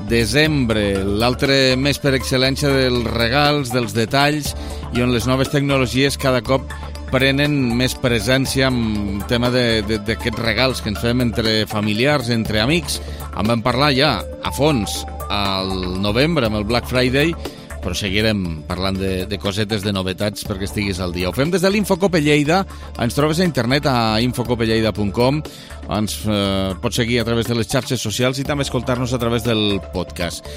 desembre, l'altre mes per excel·lència dels regals, dels detalls, i on les noves tecnologies cada cop prenen més presència en tema d'aquests regals que ens fem entre familiars, entre amics. En vam parlar ja a fons al novembre amb el Black Friday, però seguirem parlant de, de cosetes, de novetats perquè estiguis al dia. Ho fem des de l'Infocope Lleida, ens trobes a internet a infocope lleida punt com, ens eh, pots seguir a través de les xarxes socials i també escoltar-nos a través del podcast.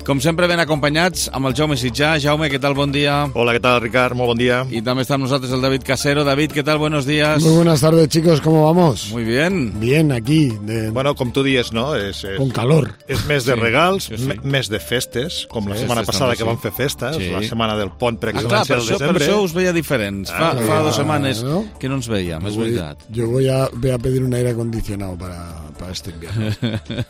Com sempre, ben acompanyats amb el Jaume Sitjà. Jaume, què tal? Bon dia. Hola, ¿qué tal, Ricard? Muy buen día. Y también está con nosotros el David Casero. David, ¿qué tal? Buenos días. Muy buenas tardes, chicos. ¿Cómo vamos? Muy bien. Bien, aquí. De... Bueno, com tu dies, no? És, és, con calor. És mes de Sí, regals, sí, sí. mes de festes, com Sí, la setmana festes passada també, que sí. vam fer festes, Sí. la setmana del pont per Ah, clar, excel·lència per del això, per desembre. això us veia diferents. Fa, Ah, fa ah, dues setmanes ¿no? que no ens veiem, és Voy- veritat. Yo voy a, voy a pedir un aire acondicionado para, para este invierno.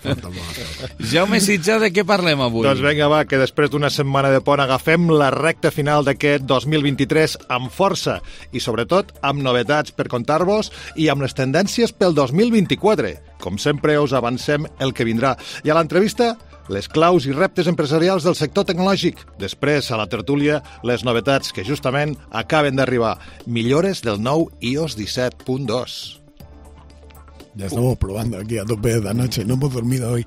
Falta poco. Jaume Sitjà, de què parlem avui? Doncs vinga, va, que després d'una setmana de pont agafem la recta final d'aquest dos mil vint-i-tres amb força i, sobretot, amb novetats per contar-vos i amb les tendències pel dos mil vint-i-quatre. Com sempre, us avancem el que vindrà. I a l'entrevista, les claus i reptes empresarials del sector tecnològic. Després, a la tertúlia, les novetats que justament acaben d'arribar. Millores del nou i o ess disset punt dos. Ya estamos probando aquí a tope de noche. No hemos dormido hoy.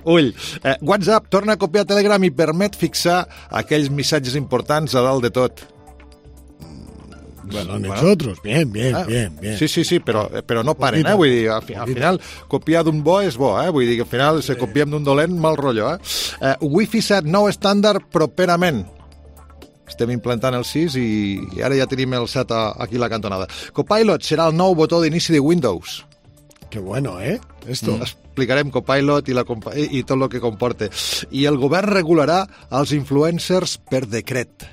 Ull, eh, WhatsApp torna a copiar Telegram i permet fixar aquells missatges importants a dalt de tot. Bueno, han hecho otros. Bien, bien, ah, bien, bien. Sí, sí, sí, però, però no paren, eh? Vull dir, al, al final, copiar d'un bo és bo, eh? Vull dir que al final, si copiem d'un dolent, mal rotllo, eh? eh Wi-Fi set, nou estàndard properament. Estem implantant el sis i, i ara ja tenim el set a, aquí a la cantonada. Copilot serà el nou botó d'inici de Windows. Qué bueno, ¿eh? Esto. Mm. Explicarem Copilot i, la, i tot el que comporta. I el govern regularà els influencers per decret.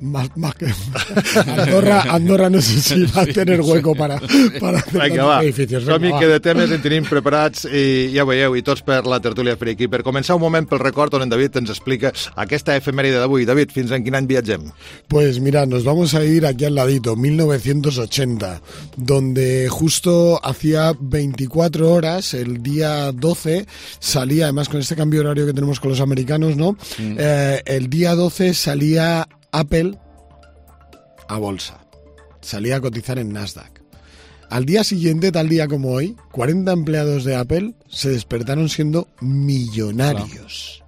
Más, más que Andorra, Andorra no sé si va a tener hueco para, para hacer Vinga, va. edificios. Som-hi que de temes en tenim preparats i ja veieu, i tots per la tertúlia friki. Per començar un moment pel record on en David ens explica aquesta efemèride d'avui. David, fins en quin any viatgem? Pues mira, nos vamos a ir aquí al ladito, mil novecientos ochenta, donde justo hacía veinticuatro horas, el día doce, salía, además con este cambio horario que tenemos con los americanos, ¿no? Mm. Eh, el día doce salía Apple a bolsa, salía a cotizar en Nasdaq. Al día siguiente, tal día como hoy, cuarenta empleados de Apple se despertaron siendo millonarios. Claro.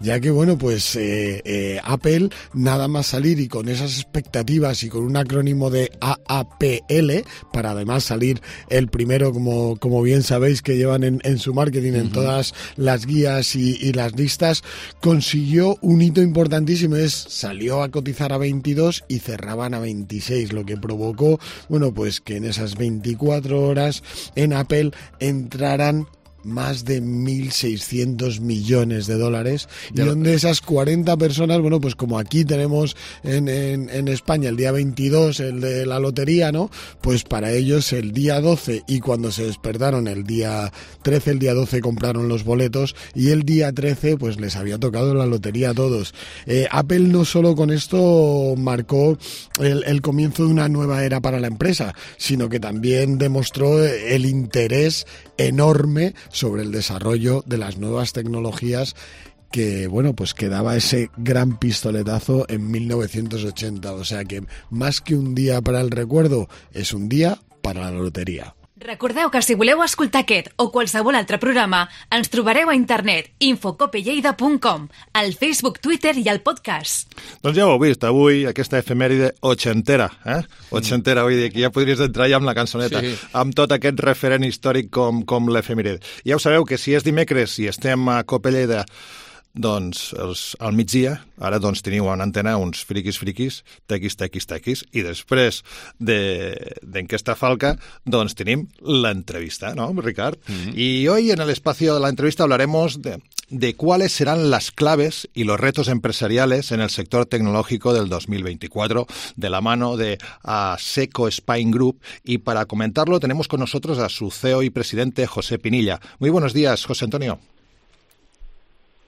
Ya que, bueno, pues eh, eh, Apple, nada más salir y con esas expectativas y con un acrónimo de A A P L, para además salir el primero, como, como bien sabéis, que llevan en, en su marketing, uh-huh. en todas las guías y, y las listas, consiguió un hito importantísimo, es salió a cotizar a veintidós y cerraban a veintiséis, lo que provocó, bueno, pues que en esas veinticuatro horas en Apple entraran más de mil seiscientos millones de dólares, y donde esas cuarenta personas, bueno, pues como aquí tenemos en, en, en España el día veintidós, el de la lotería, ¿no? Pues para ellos el día doce, y cuando se despertaron el día trece, el día doce compraron los boletos, y el día trece pues les había tocado la lotería a todos. Eh, Apple no solo con esto marcó el, el comienzo de una nueva era para la empresa, sino que también demostró el interés enorme sobre el desarrollo de las nuevas tecnologías que, bueno, pues que daba ese gran pistoletazo en mil novecientos ochenta. O sea que más que un día para el recuerdo, es un día para la lotería. Recordeu que si voleu escoltar aquest o qualsevol altre programa, ens trobareu a internet infocopelleida punt com, al Facebook, Twitter i al podcast. Doncs ja ho heu vist, avui aquesta efemèride ochentera, eh? Ochentera, vull dir que ja podries entrar ja amb la cançoneta, sí. Amb tot aquest referent històric com, com l'efemèride. Ja ho sabeu que si és dimecres i estem a Copelleida, doncs els, al migdia, ara doncs teniu en antena uns friquis friquis, tequis, tequis, tequis, i després d'Enquesta Falca, doncs tenim l'entrevista, ¿no, Ricard? Mm-hmm. Y hoy en el espacio de la entrevista hablaremos de, de cuáles serán las claves y los retos empresariales en el sector tecnológico del dos mil veinticuatro, de la mano de Asseco Spain Group, y para comentarlo tenemos con nosotros a su C E O y presidente, José Pinilla. Muy buenos días, José Antonio.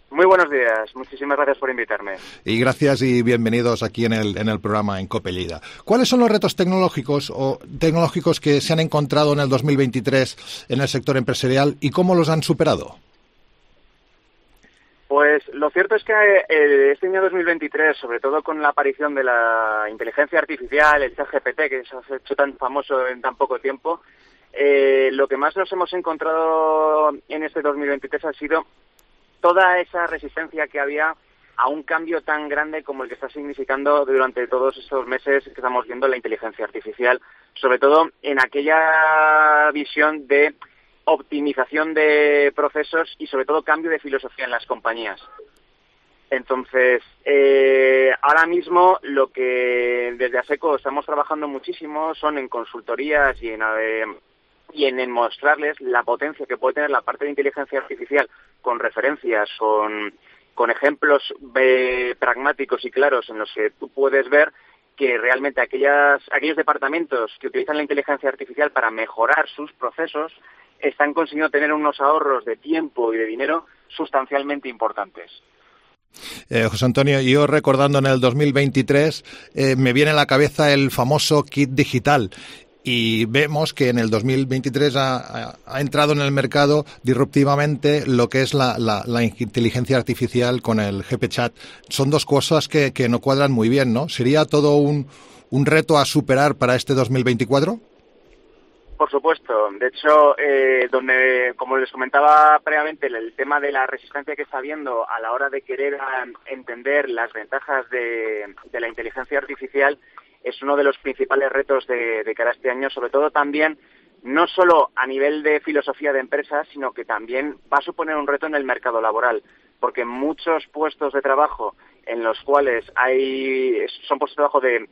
Muy buenos días, muchísimas gracias por invitarme. Y gracias y bienvenidos aquí en el, en el programa en COPE Lleida. ¿Cuáles son los retos tecnológicos o tecnológicos que se han encontrado en el dos mil veintitrés en el sector empresarial y cómo los han superado? Pues lo cierto es que eh, este año dos mil veintitrés, sobre todo con la aparición de la inteligencia artificial, el ChatGPT, que se ha hecho tan famoso en tan poco tiempo, eh, lo que más nos hemos encontrado en este dos mil veintitrés ha sido toda esa resistencia que había a un cambio tan grande como el que está significando durante todos estos meses que estamos viendo la inteligencia artificial, sobre todo en aquella visión de optimización de procesos y sobre todo cambio de filosofía en las compañías. Entonces, eh, ahora mismo lo que desde Asseco estamos trabajando muchísimo son en consultorías y en... Eh, y en, en mostrarles la potencia que puede tener la parte de inteligencia artificial con referencias, con, con ejemplos eh, pragmáticos y claros en los que tú puedes ver que realmente aquellas, aquellos departamentos que utilizan la inteligencia artificial para mejorar sus procesos están consiguiendo tener unos ahorros de tiempo y de dinero sustancialmente importantes. Eh, José Antonio, yo recordando en el dos mil veintitrés eh, me viene a la cabeza el famoso kit digital. Y vemos que en el dos mil veintitrés ha, ha, ha entrado en el mercado disruptivamente lo que es la, la, la inteligencia artificial con el G P Chat. Son dos cosas que, que no cuadran muy bien, ¿no? ¿Sería todo un, un reto a superar para este dos mil veinticuatro? Por supuesto. De hecho, eh, donde, como les comentaba previamente, el, el tema de la resistencia que está habiendo a la hora de querer a, entender las ventajas de, de la inteligencia artificial es uno de los principales retos de, de cara a este año, sobre todo también, no solo a nivel de filosofía de empresas, sino que también va a suponer un reto en el mercado laboral, porque muchos puestos de trabajo en los cuales hay son puestos de trabajo de,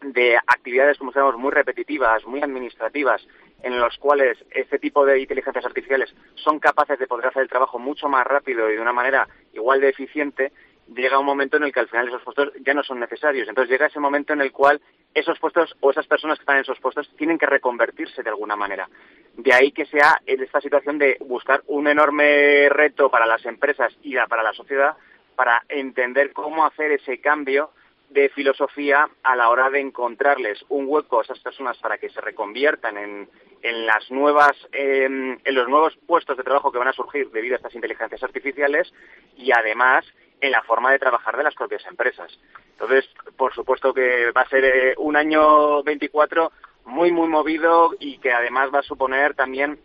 de actividades, como sabemos, muy repetitivas, muy administrativas, en los cuales este tipo de inteligencias artificiales son capaces de poder hacer el trabajo mucho más rápido y de una manera igual de eficiente, llega un momento en el que al final esos puestos ya no son necesarios. Entonces llega ese momento en el cual esos puestos o esas personas que están en esos puestos tienen que reconvertirse de alguna manera. De ahí que sea esta situación de buscar un enorme reto para las empresas y para la sociedad para entender cómo hacer ese cambio de filosofía a la hora de encontrarles un hueco a esas personas para que se reconviertan en, en las nuevas eh, en los nuevos puestos de trabajo que van a surgir debido a estas inteligencias artificiales y además en la forma de trabajar de las propias empresas. Entonces, por supuesto que va a ser eh, un año veinticuatro muy, muy movido y que además va a suponer también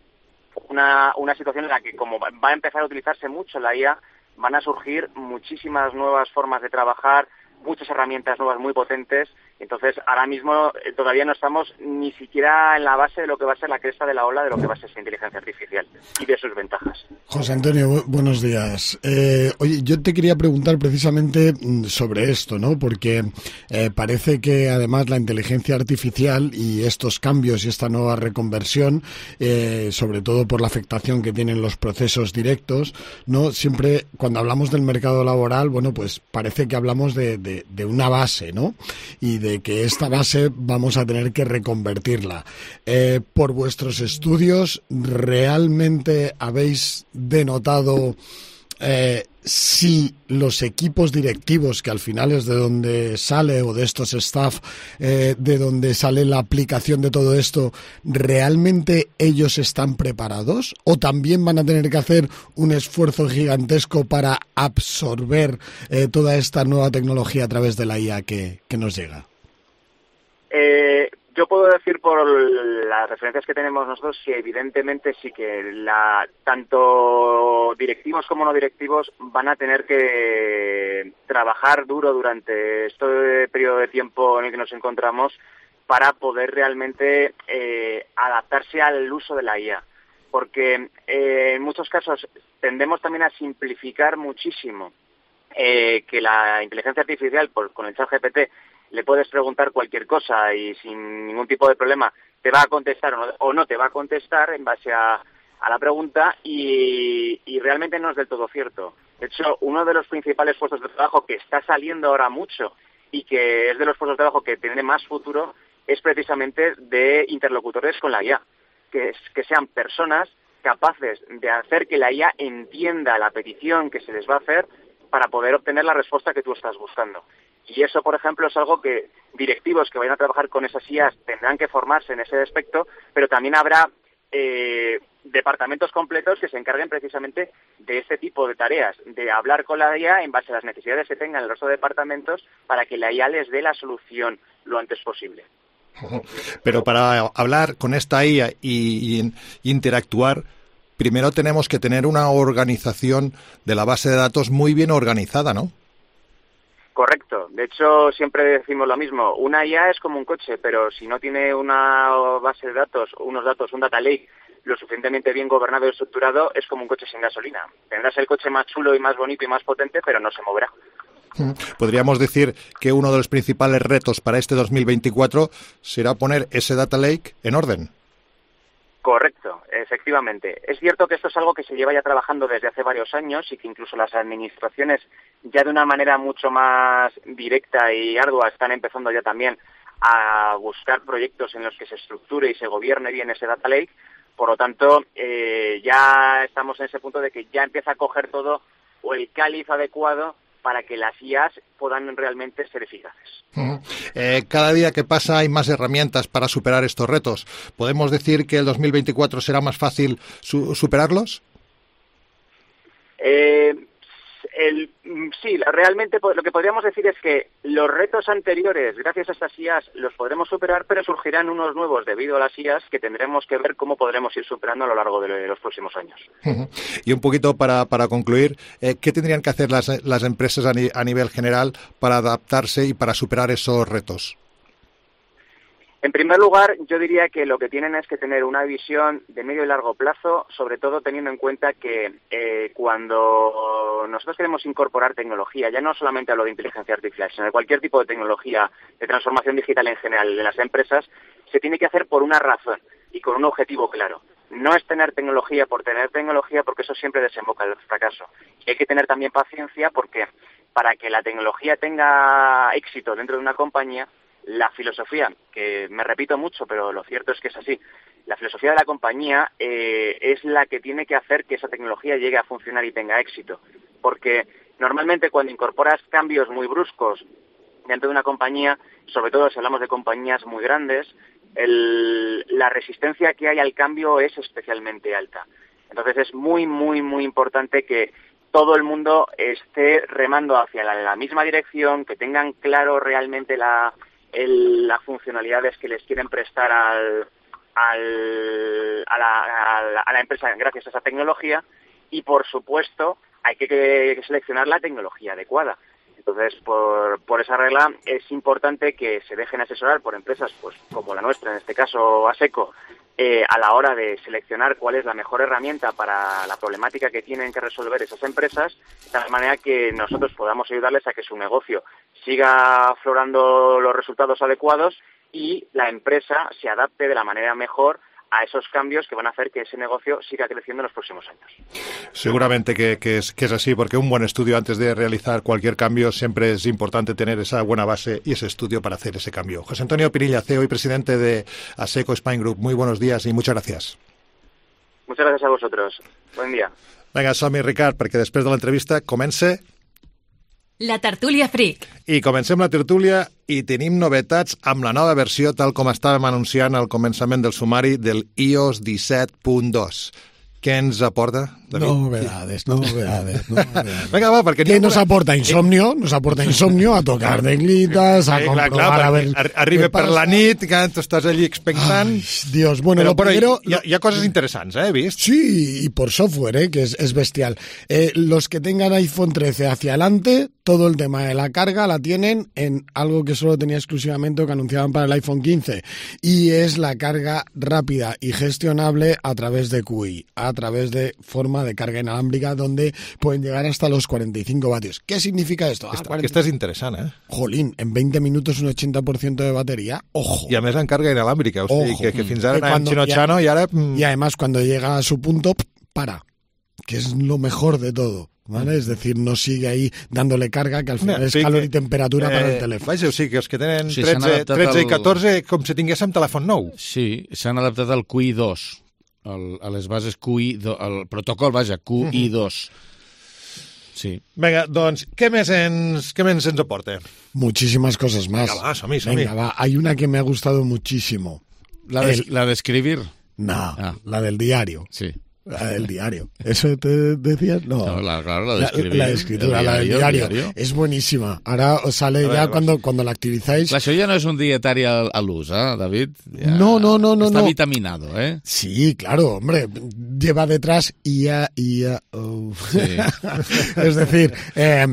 una, una situación en la que, como va a empezar a utilizarse mucho la I A, van a surgir muchísimas nuevas formas de trabajar, muchas herramientas nuevas muy potentes. Entonces, ahora mismo eh, todavía no estamos ni siquiera en la base de lo que va a ser la cresta de la ola de lo que va a ser esa inteligencia artificial y de sus ventajas. José Antonio, bu- buenos días. Eh, oye, yo te quería preguntar precisamente sobre esto, ¿no? Porque eh, parece que además la inteligencia artificial y estos cambios y esta nueva reconversión, eh, sobre todo por la afectación que tienen los procesos directos, ¿no? Siempre cuando hablamos del mercado laboral, bueno, pues parece que hablamos de, de, de una base, ¿no? Y de que esta base vamos a tener que reconvertirla. Eh, por vuestros estudios, ¿realmente habéis denotado eh, si los equipos directivos, que al final es de donde sale, o de estos staff, eh, de donde sale la aplicación de todo esto, realmente ellos están preparados? ¿O también van a tener que hacer un esfuerzo gigantesco para absorber eh, toda esta nueva tecnología a través de la I A que, que nos llega? Eh, yo puedo decir por las referencias que tenemos nosotros que evidentemente sí que la, tanto directivos como no directivos van a tener que trabajar duro durante este periodo de tiempo en el que nos encontramos para poder realmente eh, adaptarse al uso de la I A. Porque eh, en muchos casos tendemos también a simplificar muchísimo eh, que la inteligencia artificial, por, con el chat G P T, le puedes preguntar cualquier cosa y sin ningún tipo de problema te va a contestar o no, o no te va a contestar en base a, a la pregunta y, y realmente no es del todo cierto. De hecho, uno de los principales puestos de trabajo que está saliendo ahora mucho y que es de los puestos de trabajo que tiene más futuro es precisamente de interlocutores con la I A, que, es, que sean personas capaces de hacer que la I A entienda la petición que se les va a hacer para poder obtener la respuesta que tú estás buscando. Y eso, por ejemplo, es algo que directivos que vayan a trabajar con esas I As tendrán que formarse en ese aspecto, pero también habrá eh, departamentos completos que se encarguen precisamente de este tipo de tareas, de hablar con la I A en base a las necesidades que tengan el resto de departamentos para que la I A les dé la solución lo antes posible. Pero para hablar con esta I A y, y interactuar, primero tenemos que tener una organización de la base de datos muy bien organizada, ¿no? Correcto. De hecho, siempre decimos lo mismo. Una I A es como un coche, pero si no tiene una base de datos, unos datos, un data lake lo suficientemente bien gobernado y estructurado, es como un coche sin gasolina. Tendrás el coche más chulo y más bonito y más potente, pero no se moverá. Podríamos decir que uno de los principales retos para este dos mil veinticuatro será poner ese data lake en orden. Correcto, efectivamente. Es cierto que esto es algo que se lleva ya trabajando desde hace varios años y que incluso las administraciones ya de una manera mucho más directa y ardua están empezando ya también a buscar proyectos en los que se estructure y se gobierne bien ese data lake. Por lo tanto, eh, ya estamos en ese punto de que ya empieza a coger todo o el cáliz adecuado para que las I As puedan realmente ser eficaces. Uh-huh. Eh, cada día que pasa hay más herramientas para superar estos retos. ¿Podemos decir que el dos mil veinticuatro será más fácil su- superarlos? Eh, el, sí, realmente lo que podríamos decir es que los retos anteriores, gracias a estas I As, los podremos superar, pero surgirán unos nuevos debido a las I As que tendremos que ver cómo podremos ir superando a lo largo de los próximos años. Uh-huh. Y un poquito para, para concluir, eh, ¿qué tendrían que hacer las, las empresas a, ni, a nivel general para adaptarse y para superar esos retos? En primer lugar, yo diría que lo que tienen es que tener una visión de medio y largo plazo, sobre todo teniendo en cuenta que eh, cuando nosotros queremos incorporar tecnología, ya no solamente hablo de inteligencia artificial, sino de cualquier tipo de tecnología de transformación digital en general de las empresas, se tiene que hacer por una razón y con un objetivo claro. No es tener tecnología por tener tecnología, porque eso siempre desemboca en el fracaso. Y hay que tener también paciencia, porque para que la tecnología tenga éxito dentro de una compañía, la filosofía, que me repito mucho, pero lo cierto es que es así, la filosofía de la compañía eh, es la que tiene que hacer que esa tecnología llegue a funcionar y tenga éxito. Porque normalmente cuando incorporas cambios muy bruscos dentro de una compañía, sobre todo si hablamos de compañías muy grandes, el, la resistencia que hay al cambio es especialmente alta. Entonces es muy, muy, muy importante que todo el mundo esté remando hacia la, la misma dirección, que tengan claro realmente la... El, las funcionalidades que les quieren prestar al, al, a, la, a, la, a la empresa gracias a esa tecnología, y por supuesto hay que, que seleccionar la tecnología adecuada. Entonces, por, por esa regla es importante que se dejen asesorar por empresas pues como la nuestra, en este caso ASECO, eh, a la hora de seleccionar cuál es la mejor herramienta para la problemática que tienen que resolver esas empresas, de tal manera que nosotros podamos ayudarles a que su negocio siga aflorando los resultados adecuados y la empresa se adapte de la manera mejor a esos cambios que van a hacer que ese negocio siga creciendo en los próximos años. Seguramente que, que, es, que es así, porque un buen estudio antes de realizar cualquier cambio siempre es importante tener esa buena base y ese estudio para hacer ese cambio. José Antonio Pirilla, C E O y presidente de ASECO Spain Group, muy buenos días y muchas gracias. Muchas gracias a vosotros. Buen día. Vinga, som-hi, Ricard, perquè després de l'entrevista comença... La tertúlia Freak. I comencem la tertúlia i tenim novetats amb la nova versió, tal com estàvem anunciant al començament del sumari del i O S disset punt dos. Què ens aporta, David? Novedades, novedades, novedades. Venga, va, perquè... ¿Qué nos aporta? Insomnio, nos aporta insomnio, a tocar teclitas, a eh, comprobar, clar, clar, a ver... Arriba per la nit, que tu estàs allí expectant... Ay, Dios, bueno, però, lo primero... Hi ha, hi ha coses interesants, eh, he vist? Sí, y por software, eh, que es, es bestial. Eh, los que tengan iPhone trece hacia adelante, todo el tema de la carga la tienen en algo que solo tenía exclusivamente o que anunciaban para el iPhone quince, y es la carga rápida y gestionable a través de Q I, a través de forma de carga inalámbrica, donde pueden llegar hasta los cuarenta y cinco vatios. ¿Qué significa esto? Esta, ah, cuarenta... Esta és interessant, eh? Jolín, en veinte minutos un ochenta por ciento de batería. Ojo. I a més en carga inalàmbrica, o sigui, que, que fins ara anàvem xino-xano i ara... Y además cuando llega a su punto, para, que es lo mejor de todo. ¿Vale? Es decir, no sigue ahí dándole carga, que al final no, es calor que, y temperatura eh, para el teléfono. Vaja, o sigui, que els que tenen sí, tretze, tretze i catorze, com si tinguéssim telèfon nou. Sí, s'han adaptat al Q I dos, el, a les bases Q I, el protocol, vaja, Q I dos. Sí. Venga, doncs, ¿qué més ens, qué més ens aporta? Muchísimas cosas más. Venga, va, som-hi, som-hi. Venga, va, hay una que me ha gustado muchísimo. ¿La de, el... la de escribir? No, ah. la del diario. Sí. La del diario. ¿Eso te decías? No, no la, claro, la de escribir. La, la de escritura, diario, la del diario. diario. Es buenísima. Ahora os sale ver, ya cuando, cuando la activizáis. Clar, això ja no és un dietari al, al ús, ¿eh, David? Ja no, no, no, no. Está no. vitaminado, ¿eh? Sí, claro, hombre. Lleva detrás I A, I A, oh. Sí. Es decir, eh,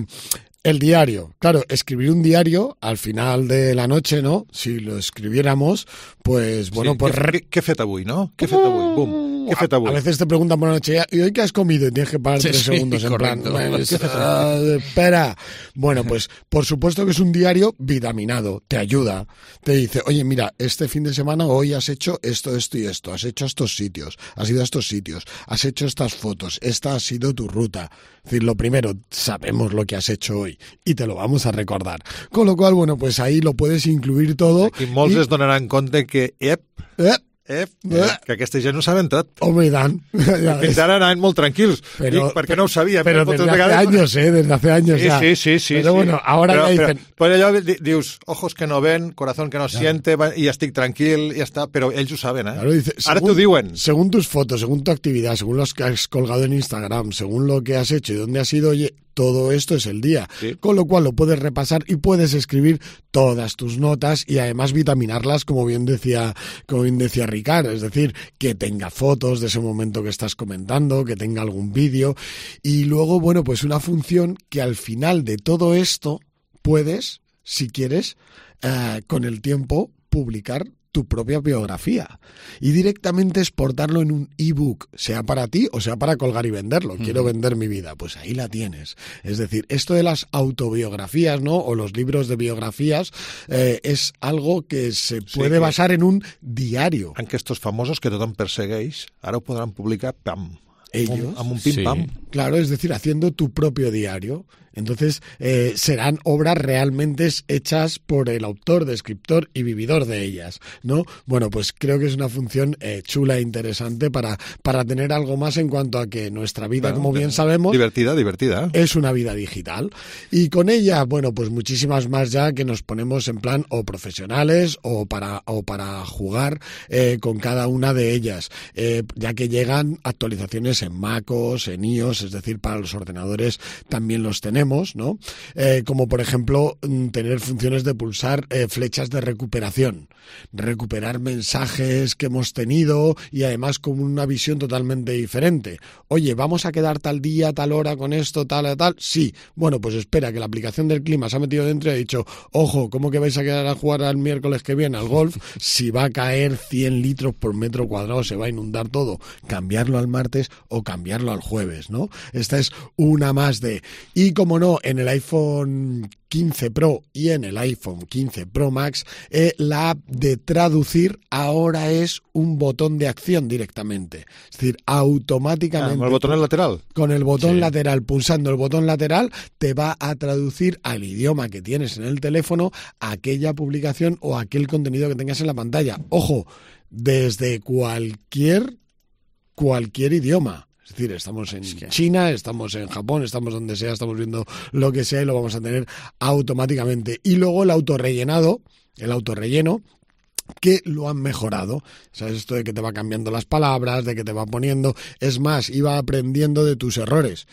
el diario. Claro, escribir un diario al final de la noche, ¿no? Si lo escribiéramos, pues bueno, sí, pues... ¿Qué, qué fet avui, no? ¿Qué fet avui? Bum. ¿Qué fet avui? A veces te preguntan por la noche, ¿y hoy qué has comido? Y tienes que parar sí, tres sí, segundos en correcto. plan... Uh, espera. Bueno, pues por supuesto que es un diario vitaminado. Te ayuda. Te dice, oye, mira, este fin de semana hoy has hecho esto, esto y esto. Has hecho estos sitios. Has ido a estos sitios. Has hecho estas fotos. Esta ha sido tu ruta. Es decir, lo primero, sabemos lo que has hecho hoy y te lo vamos a recordar. Con lo cual, bueno, pues ahí lo puedes incluir todo. Aquí molts i... es donaran compte que, ep, ep, Eh, eh, que aquesta gent no saben tot. Home, i tant. Ja fins ara anaven molt tranquils, però, Dic, perquè no ho sabien. Però desde hace vegades... años, eh, desde hace años sí, ya. Sí, sí, sí. Pero sí. bueno, ahora però, ya dicen... Però, però allò dius, ojos que no ven, corazón que no claro. siente, i estic tranquil, i ja està, però ells ho saben, eh? Claro, dice, ara t'ho diuen. Según tus fotos, según tu actividad, según los que has colgado en Instagram, según lo que has hecho y dónde has ido, oye, todo esto es el día. Sí. Con lo cual lo puedes repasar y puedes escribir todas tus notas y además vitaminarlas, como bien decía, como bien decía Ricard, es decir, que tenga fotos de ese momento que estás comentando, que tenga algún vídeo y luego, bueno, pues una función que al final de todo esto puedes, si quieres, eh, con el tiempo publicar tu propia biografía y directamente exportarlo en un ebook, sea para ti o sea para colgar y venderlo. Quiero vender mi vida, pues ahí la tienes. Es decir, esto de las autobiografías, ¿no? O los libros de biografías eh, es algo que se puede sí, basar en un diario. Aunque estos famosos que tothom persegueix, ara ho podran publicar pam. Ellos, amb un pim-pam. Sí. Claro, es decir, haciendo tu propio diario. Entonces, eh, serán obras realmente hechas por el autor, descriptor y vividor de ellas, ¿no? Bueno, pues creo que es una función eh, chula e interesante para, para tener algo más en cuanto a que nuestra vida, bueno, como bien sabemos... Divertida, divertida. Es una vida digital. Y con ella, bueno, pues muchísimas más ya que nos ponemos en plan o profesionales o para, o para jugar eh, con cada una de ellas, eh, ya que llegan actualizaciones en MacOS, en iOS, es decir, para los ordenadores también los tenemos. ¿no? Eh, como por ejemplo tener funciones de pulsar eh, flechas de recuperación, recuperar mensajes que hemos tenido y además con una visión totalmente diferente. Oye, ¿vamos a quedar tal día, tal hora con esto, tal, tal? Sí. Bueno, pues espera, que la aplicación del clima se ha metido dentro y ha dicho, ojo, ¿cómo que vais a quedar a jugar al miércoles que viene al golf? Si va a caer cien litros por metro cuadrado, se va a inundar todo. Cambiarlo al martes o cambiarlo al jueves, ¿no? Esta es una más de... Y como no, en el iPhone quince Pro y en el iPhone quince Pro Max, eh, la app de traducir ahora es un botón de acción directamente. Es decir, automáticamente... Ah, ¿con el botón lateral? Con el botón sí. lateral, pulsando el botón lateral, te va a traducir al idioma que tienes en el teléfono aquella publicación o aquel contenido que tengas en la pantalla. Ojo, desde cualquier, cualquier idioma. Es decir, estamos en China, estamos en Japón, estamos donde sea, estamos viendo lo que sea y lo vamos a tener automáticamente. Y luego el autorrellenado, el autorrelleno, que lo han mejorado. ¿Sabes? Esto de que te va cambiando las palabras, de que te va poniendo... Es más, iba aprendiendo de tus errores.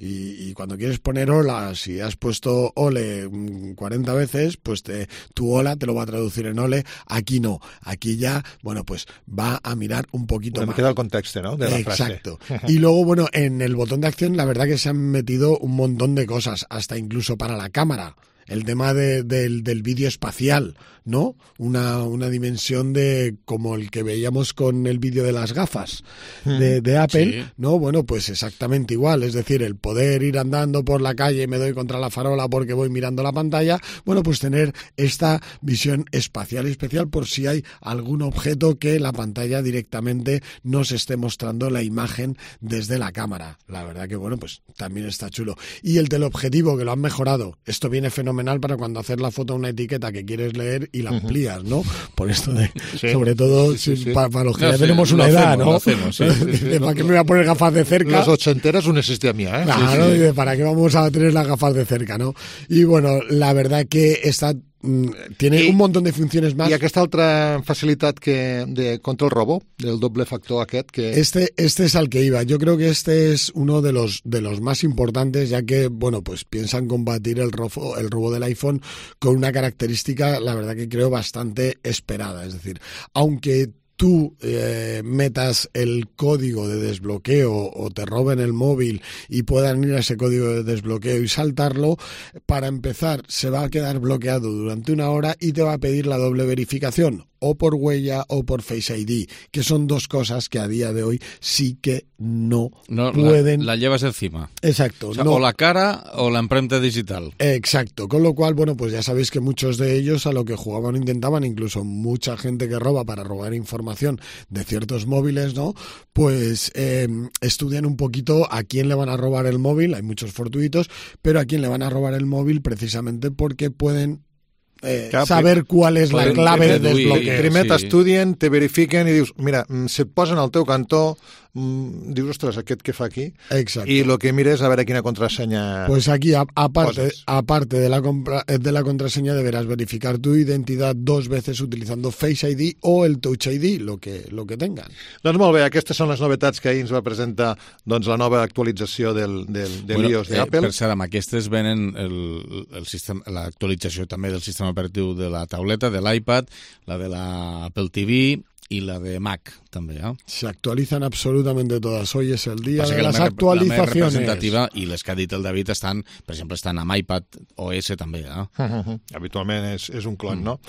Y, y cuando quieres poner hola, si has puesto ole cuarenta veces, pues te, tu hola te lo va a traducir en ole. Aquí no. Aquí ya, bueno, pues va a mirar un poquito bueno, más. Me queda el contexto, ¿no? De la Exacto. frase. Y luego, bueno, en el botón de acción, la verdad que se han metido un montón de cosas, hasta incluso para la cámara. El tema de, de, del vídeo espacial, ¿no? Una, una dimensión de como el que veíamos con el vídeo de las gafas de, de Apple, sí. ¿no? Bueno, pues exactamente igual. Es decir, el poder ir andando por la calle y me doy contra la farola porque voy mirando la pantalla. Bueno, pues tener esta visión espacial y especial por si hay algún objeto que la pantalla directamente nos esté mostrando la imagen desde la cámara. La verdad que, bueno, pues también está chulo. Y el teleobjetivo, que lo han mejorado. Esto viene fenomenal para cuando haces la foto a una etiqueta que quieres leer y la amplías, ¿no? Por esto de, sí. sobre todo sí, sí, sí. Para, para los que no, ya sí, tenemos una edad, hacemos, ¿no? Hacemos, sí, sí, sí, ¿para qué me voy a poner gafas de cerca? Los ochenteras no existía mía, ¿eh? Claro, sí, sí. Y de para qué vamos a tener las gafas de cerca, ¿no? Y bueno, la verdad que está... tiene I, un montón de funciones más. I aquesta altra facilitat que de contra el robo, del doble factor aquest que... Este, este es al que iba. Yo creo que este es uno de los, de los más importantes, ya que, bueno, pues piensan combatir el robo, el robo del iPhone con una característica, la verdad que creo bastante esperada. Es decir, aunque tú eh, metas el código de desbloqueo o te roben el móvil y puedan ir a ese código de desbloqueo y saltarlo, para empezar se va a quedar bloqueado durante una hora y te va a pedir la doble verificación, o por huella o por Face I D, que son dos cosas que a día de hoy sí que no, no pueden... La, la llevas encima. Exacto. O, sea, no. o la cara o la emprenta digital. Exacto. Con lo cual, bueno, pues ya sabéis que muchos de ellos a lo que jugaban intentaban, incluso mucha gente que roba para robar información de ciertos móviles, ¿no? Pues eh, estudian un poquito a quién le van a robar el móvil, hay muchos fortuitos, pero a quién le van a robar el móvil precisamente porque pueden Eh, Clar, saber qual és la clave de desbloqueo. Primer sí. t'estudien, te verifiquen i dius, mira, si et posen al teu cantó, mmm, dius, ostres, aquest què fa aquí? Exacto. I el que mires a veure quina contrasenya Pues aquí, a, aparte, poses. aparte de la, compra, de la contraseña, deberás verificar tu identidad dos veces utilizando Face I D o el Touch I D, lo que, lo que tengan. Doncs molt bé, aquestes són les novetats que ahir ens va presentar doncs, la nova actualització del, del, de bueno, l'iOS eh, d'Apple. Per cert, amb aquestes venen el, el sistema, l'actualització també del sistema operatiu de la tauleta, de l'iPad, la de la Apple T V y la de Mac també, ¿eh? Se actualizan absolutamente todas. Hoy es el día Passa de que las la actualizaciones. La més representativa, i les que ha dit el David, estan, per exemple, estan amb iPad O S també, eh? Uh -huh. Habitualment és, és un clon, mm. no?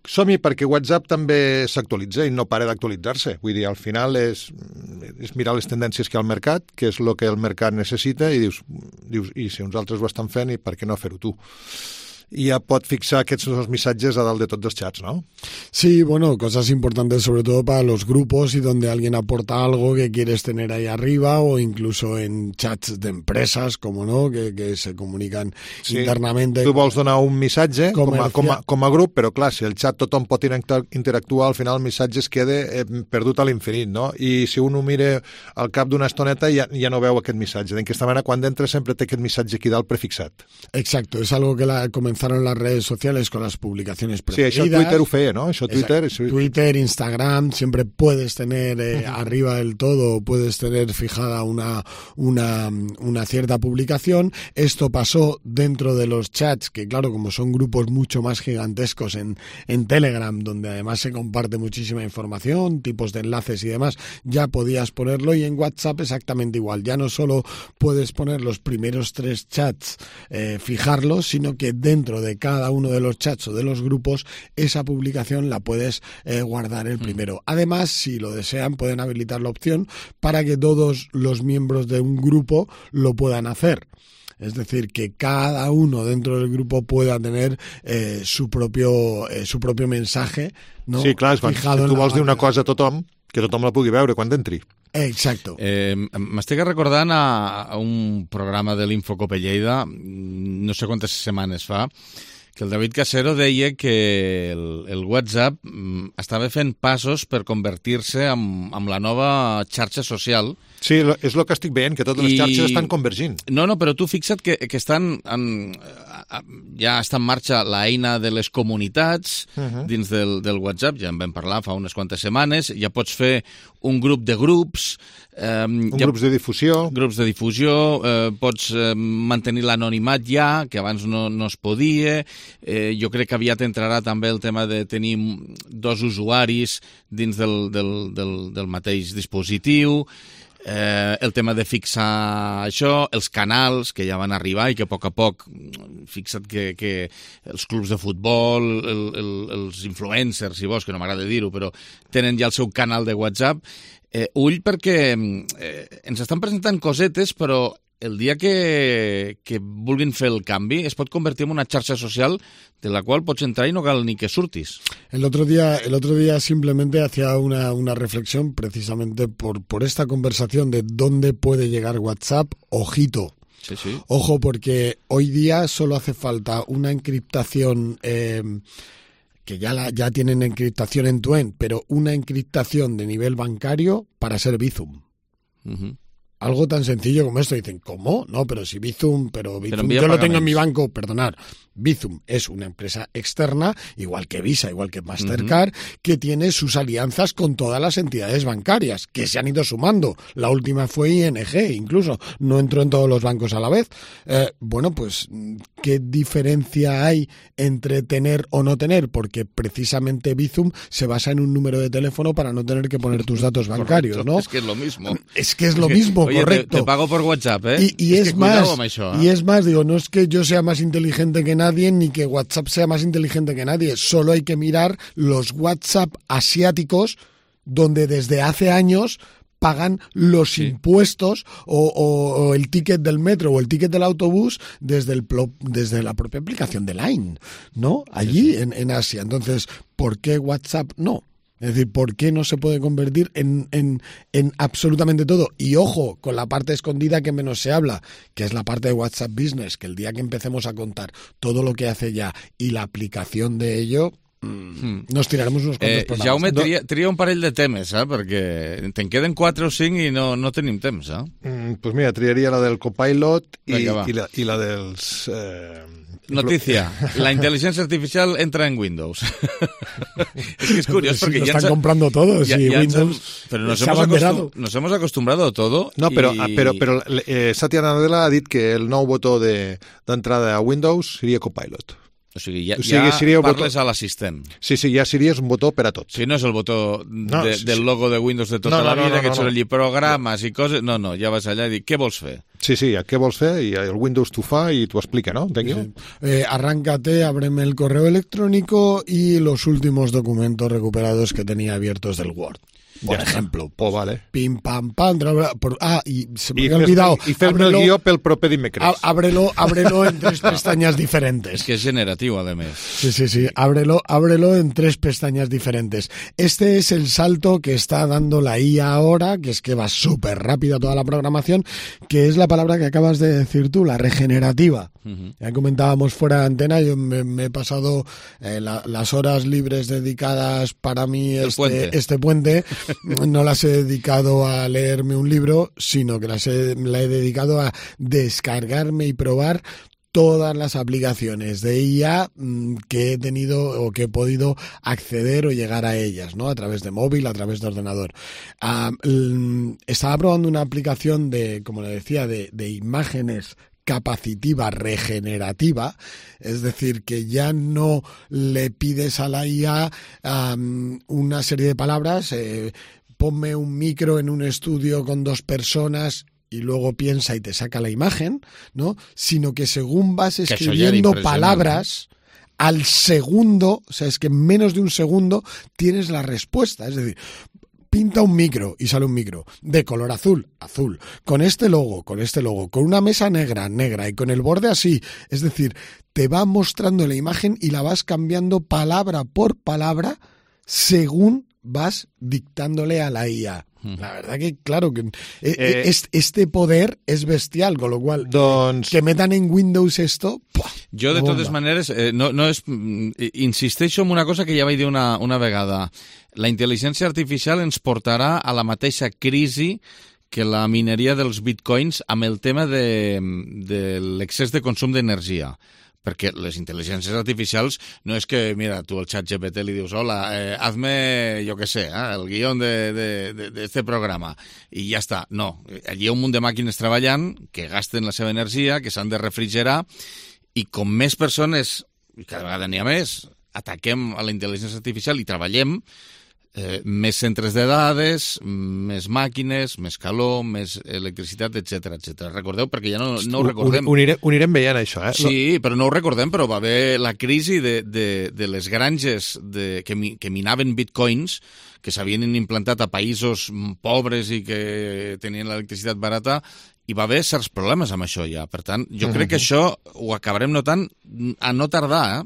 Som-hi, perquè WhatsApp també s'actualitza i no para d'actualitzar-se. Vull dir, al final és, és mirar les tendències que hi ha al mercat, que és el que el mercat necessita, i dius, dius i si uns altres ho estan fent, i per què no fer-ho tu? Y ya pot fixar aquests dos missatges a dalt de tots els chats, ¿no? Sí, bueno, cosas importantes sobre todo para los grupos y donde alguien aporta algo que quieres tener ahí arriba, o incluso en chats de empresas, como no, que, que se comunican sí. internamente. Tu vols donar un missatge com a, com, a, com a grup, però clar, si el xat tothom pot interactuar, al final el missatge es queda eh, perdut a l'infinit, no? I si un ho mira al cap d'una estoneta ja, ja no veu aquest missatge. D'aquesta manera, quan entra sempre té aquest missatge aquí dalt prefixat. Exacto, es algo que la comenzó en las redes sociales con las publicaciones preferidas. Sí, això Twitter ho feia, ¿no? Això Twitter, sí. Twitter, Instagram, siempre puedes tener eh, uh-huh. arriba del todo, puedes tener fijada una, una, una cierta publicación. Esto pasó dentro de los chats, que claro, como son grupos mucho más gigantescos en, en Telegram, donde además se comparte muchísima información, tipos de enlaces y demás, ya podías ponerlo, y en WhatsApp exactamente igual. Ya no solo puedes poner los primeros tres chats, eh, fijarlos, sino que dentro de cada uno de los chats o de los grupos, esa publicación la puedes eh, guardar el primero. Mm. Además, si lo desean, pueden habilitar la opción para que todos los miembros de un grupo lo puedan hacer. Es decir, que cada uno dentro del grupo pueda tener eh, su propio eh, su propio mensaje, ¿no? Sí, clar, quan, si tu vols dir una cosa a tothom, que tothom la pugui veure quan entri. Exacto. Eh, M'estic recordant a, a un programa de l'Infocope Lleida, no sé quantes setmanes fa, que el David Casero deia que el, el WhatsApp estava fent passos per convertir-se en, en la nova xarxa social. Sí, és el que estic veient, que totes les xarxes estan convergint. No, no, però tu fixa't que, que estan en, ja està en marxa l'eina de les comunitats uh-huh. dins del, del WhatsApp, ja en vam parlar fa unes quantes setmanes, ja pots fer un grup de grups, eh, un ja, grups de difusió, grups de difusió, eh, pots eh, mantenir l'anonimat ja, que abans no, no es podia, eh, jo crec que aviat entrarà també el tema de tenir dos usuaris dins del, del, del, del mateix dispositiu, Eh, el tema de fixar això, els canals que ja van arribar i que a poc a poc, fixa't que, que els clubs de futbol, el, el, els influencers, si vols, que no m'agrada dir-ho, però tenen ja el seu canal de WhatsApp. Eh, ull, perquè eh, ens estan presentant cosetes, però el dia que, que vulguin fer el canvi es pot convertir en una xarxa social de la cual pots entrar y no cal ni que surtis. El otro día, el otro día simplemente hacía una, una reflexión precisamente por, por esta conversación de dónde puede llegar WhatsApp. Ojito. Sí, sí. Ojo, porque hoy día solo hace falta una encriptación, eh, que ya, la, ya tienen encriptación end-to-end, pero una encriptación de nivel bancario para ser Bizum. Uh-huh. Algo tan sencillo como esto. Dicen, ¿cómo? No, pero si Bizum, pero Bizum, pero yo lo tengo en mi banco, perdonad. Bizum es una empresa externa, igual que Visa, igual que Mastercard, uh-huh. que tiene sus alianzas con todas las entidades bancarias, que se han ido sumando. La última fue I N G, incluso. No entró en todos los bancos a la vez. Eh, bueno, pues, ¿qué diferencia hay entre tener o no tener? Porque precisamente Bizum se basa en un número de teléfono para no tener que poner tus datos bancarios, correcto, ¿no? Es que es lo mismo. Es que es lo mismo, oye, correcto. Te, te pago por WhatsApp, ¿eh? Y, y es, es que más, això, ¿eh? y es más, digo, no es que yo sea más inteligente que nadie, ni que WhatsApp sea más inteligente que nadie. Solo hay que mirar los WhatsApp asiáticos, donde desde hace años pagan los sí. impuestos o, o, o el ticket del metro o el ticket del autobús desde, el, desde la propia aplicación de Line, ¿no? Allí sí, sí. En, en Asia. Entonces, ¿por qué WhatsApp no? Es decir, ¿por qué no se puede convertir en, en, en absolutamente todo? Y ojo, con la parte escondida que menos se habla, que es la parte de WhatsApp Business, que el día que empecemos a contar todo lo que hace ya y la aplicación de ello, mm. nos tiraremos unos quantos eh, programes. Jaume, tria, tria un parell de temes, eh? Perquè te'n queden quatre o cinc i no, no tenim temps. Eh? Mm, pues mira, triaria la del Copilot i, Vinga, i, la, i la dels... Eh... Notícia, la inteligencia artificial entra en Windows. Es que es curioso porque sí, ya... están han, comprando todo, ya, sí, ya Windows... Han, pero nos hemos, acostum, nos hemos acostumbrado a todo. No, y... però, però, però eh, Satya Nadella ha dit que el nou botó d'entrada de, a Windows seria Copilot. O sigui, ja, o sigui, ja parles botó... a l'assistent. Sí, sí, ja seria un botó per a tot. Sí, no és el botó no, de, sí, del logo de Windows de tota no, no, la vida, no, no, que et surt allí programes no. i coses... No, no, ja vas allà i dic, què vols fer? Sí, sí, què vols fer? I el Windows t'ho fa i t'ho explica, ¿no? Sí. Eh, arráncate, ábreme el correo electrónico y los últimos documentos recuperados que tenía abiertos del Word. Por ja ejemplo, pues, pues vale. Pim, pam, pam. Por, ah, y se me había olvidado. Y fer-me el guió pel proper dimecres. Ábrelo, ábrelo en tres pestañas diferentes. Es que es generativo, además. Sí, sí, sí. Ábrelo, ábrelo en tres pestañas diferentes. Este es el salto que está dando la I A ahora, que es que va súper rápida toda la programación, que es la palabra que acabas de decir tú, la regenerativa. Uh-huh. Ya comentábamos fuera de antena, yo me, me he pasado eh, la, las horas libres dedicadas para mí este puente. este puente, no las he dedicado a leerme un libro, sino que las he, la he dedicado a descargarme y probar todas las aplicaciones de I A que he tenido o que he podido acceder o llegar a ellas, ¿no? A través de móvil, a través de ordenador. Uh, estaba probando una aplicación de, como le decía, de, de imágenes capacitiva regenerativa, es decir, que ya no le pides a la I A um, una serie de palabras, eh, ponme un micro en un estudio con dos personas y luego piensa y te saca la imagen, ¿no? Sino que según vas escribiendo palabras, al segundo, o sea, es que en menos de un segundo tienes la respuesta, es decir, pinta un micro y sale un micro de color azul, azul, con este logo, con este logo, con una mesa negra, negra y con el borde así. Es decir, te va mostrando la imagen y la vas cambiando palabra por palabra según vas dictándole a la I A. La verdad que, claro, que eh, este poder es bestial, con lo cual, doncs... que metan en Windows esto... ¡pua! Jo, de totes maneres, eh, no, no és, insisteixo en una cosa que ja vaig dir una, una vegada. La intel·ligència artificial ens portarà a la mateixa crisi que la mineria dels bitcoins amb el tema de, de l'excés de consum d'energia. Perquè les intel·ligències artificials no és que, mira, tu al xat G P T li dius hola, eh, hazme, jo què sé, eh, el guió d'este programa, i ja està. No, allí hi ha un munt de màquines treballant que gasten la seva energia, que s'han de refrigerar, i com més persones, i cada vegada n'hi ha més, ataquem a la intel·ligència artificial i treballem, Eh, més centres de dades, més màquines, més calor, més electricitat, etcètera, etcètera. Recordeu, perquè ja no, no ho recordem. Ho, ho, anirem, ho anirem veient, això, eh? Sí, però no ho recordem, però va haver la crisi de, de, de les granges de, que, que minaven bitcoins, que s'havien implantat a països pobres i que tenien l'electricitat barata, i va haver certs problemes amb això ja. Per tant, jo uh-huh. crec que això ho acabarem notant a no tardar, eh?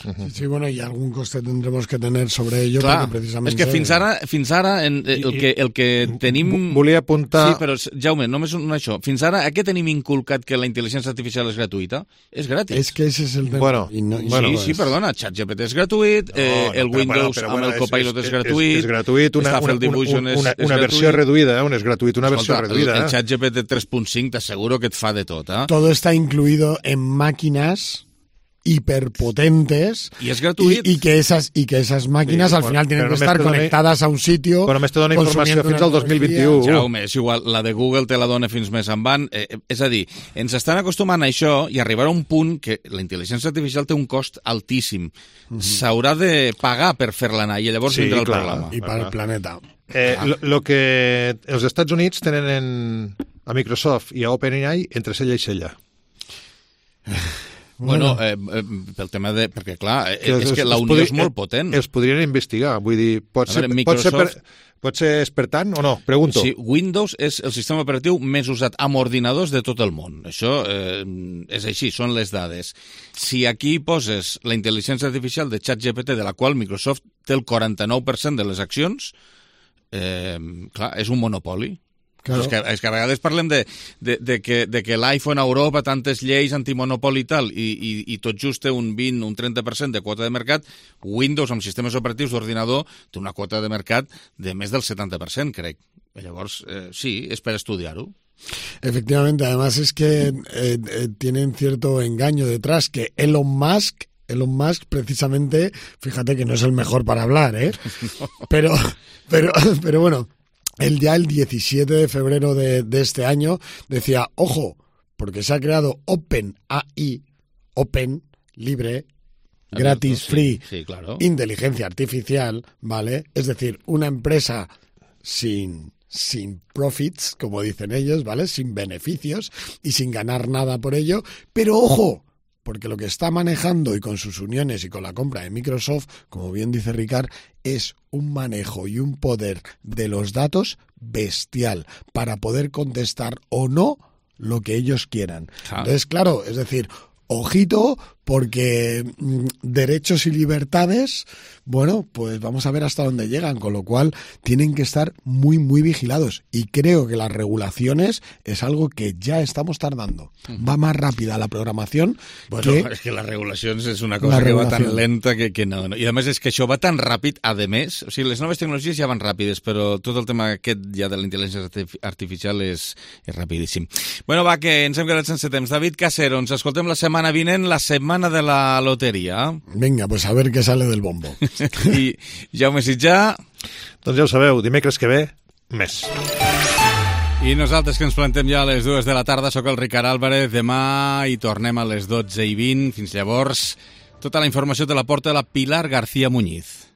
Uh-huh. Sí, bueno, y algún coste tendremos que tener sobre ello. Clar, porque precisamente... és que fins ara, fins ara en, el, que, el que tenim... Volia apuntar... Sí, però, Jaume, només un, això. Fins ara, a què tenim inculcat que la intel·ligència artificial és gratuïta? És gratis. És que ese és el tema. Bueno, I no, i bueno, sí, pues... sí, perdona, ChatGPT és gratuït, no, eh, el no, Windows però, però, amb bueno, el Copilot és, és, és gratuït, és, és gratuït, una, una, una, una, una, una versió reduïda, eh? És gratuït, una Escolta, versió reduïda. El, el ChatGPT tres punt cinc t'asseguro que et fa de tot, eh? Todo está incluido en máquinas hiperpotentes y es gratuito y, y que esas y que esas máquinas sí, al final tienen que estar conectadas dona, a un sitio. Però només te dona informació fins al dos mil vint-i-u. Jaume, és igual, la de Google te la dona fins més en van. Eh, és a dir, ens estan acostumant a això i arribarà a un punt que la intel·ligència artificial té un cost altíssim. Mm-hmm. S'haurà de pagar per fer-la anar i llavors sí, vindrà el clar, problema. I per al planeta. Eh, lo, lo que els Estats Units tenen en, a Microsoft i a OpenAI entre cella i cella. Bueno, eh, eh, pel tema de... Perquè, clar, que és, és que la unió podri, és molt potent. Els podrien investigar, vull dir, pot, ser, veure, Microsoft... pot, ser, per, pot ser espertant o no? Pregunto. Sí, Windows és el sistema operatiu més usat amb ordinadors de tot el món. Això eh, és així, són les dades. Si aquí poses la intel·ligència artificial de ChatGPT, de la qual Microsoft té el quaranta-nou per cent de les accions, eh, clar, és un monopoli. Claro. És, que, és que a vegades parlem de, de, de que, de que l'iPhone a Europa, tantes lleis antimonopoli i tal, i, i, i tot just té un vint, un trenta per cent de quota de mercat. Windows, amb sistemes operatius d'ordinador, té una quota de mercat de més del setanta per cent, crec. Llavors, eh, sí, és per estudiar-ho. Efectivamente, además es que eh, eh, tienen cierto engaño detrás, que Elon Musk, Elon Musk precisamente, fíjate que no es el mejor para hablar, ¿eh? No. Pero, pero, pero bueno, él ya el diecisiete de febrero de, de este año decía, ojo, porque se ha creado OpenAI, Open, libre, gratis, sí, free, sí, claro. Inteligencia artificial, ¿vale? Es decir, una empresa sin... sin profits, como dicen ellos, ¿vale? Sin beneficios y sin ganar nada por ello. Pero ojo, porque lo que está manejando y con sus uniones y con la compra de Microsoft, como bien dice Ricard, es un manejo y un poder de los datos bestial para poder contestar o no lo que ellos quieran. Ah. Entonces, claro, es decir, ojito, porque mmm, derechos y libertades, bueno, pues vamos a ver hasta dónde llegan, con lo cual tienen que estar muy, muy vigilados. Y creo que las regulaciones es algo que ya estamos tardando. Uh-huh. Va más rápida la programación. Bueno, que... és que les regulacions és una cosa que va tan lenta que, que no, no. I a més és que això va tan ràpid, a més, o sigui, les noves tecnologies ja van ràpides, però tot el tema aquest ja de la intel·ligència artificial és, és rapidíssim. Bueno, va, que ens hem quedat sense temps. David Casero, ens escoltem la setmana vinent, la setmana de la loteria. Venga, pues a ver qué sale del bombo. I Jaume Sitjà... Doncs ja ho sabeu, dimecres que ve, més. I nosaltres que ens plantem ja a les dues de la tarda, sóc el Ricard Álvarez, demà hi tornem a les dotze i vint, fins llavors tota la informació te la porta la Pilar García Muñiz.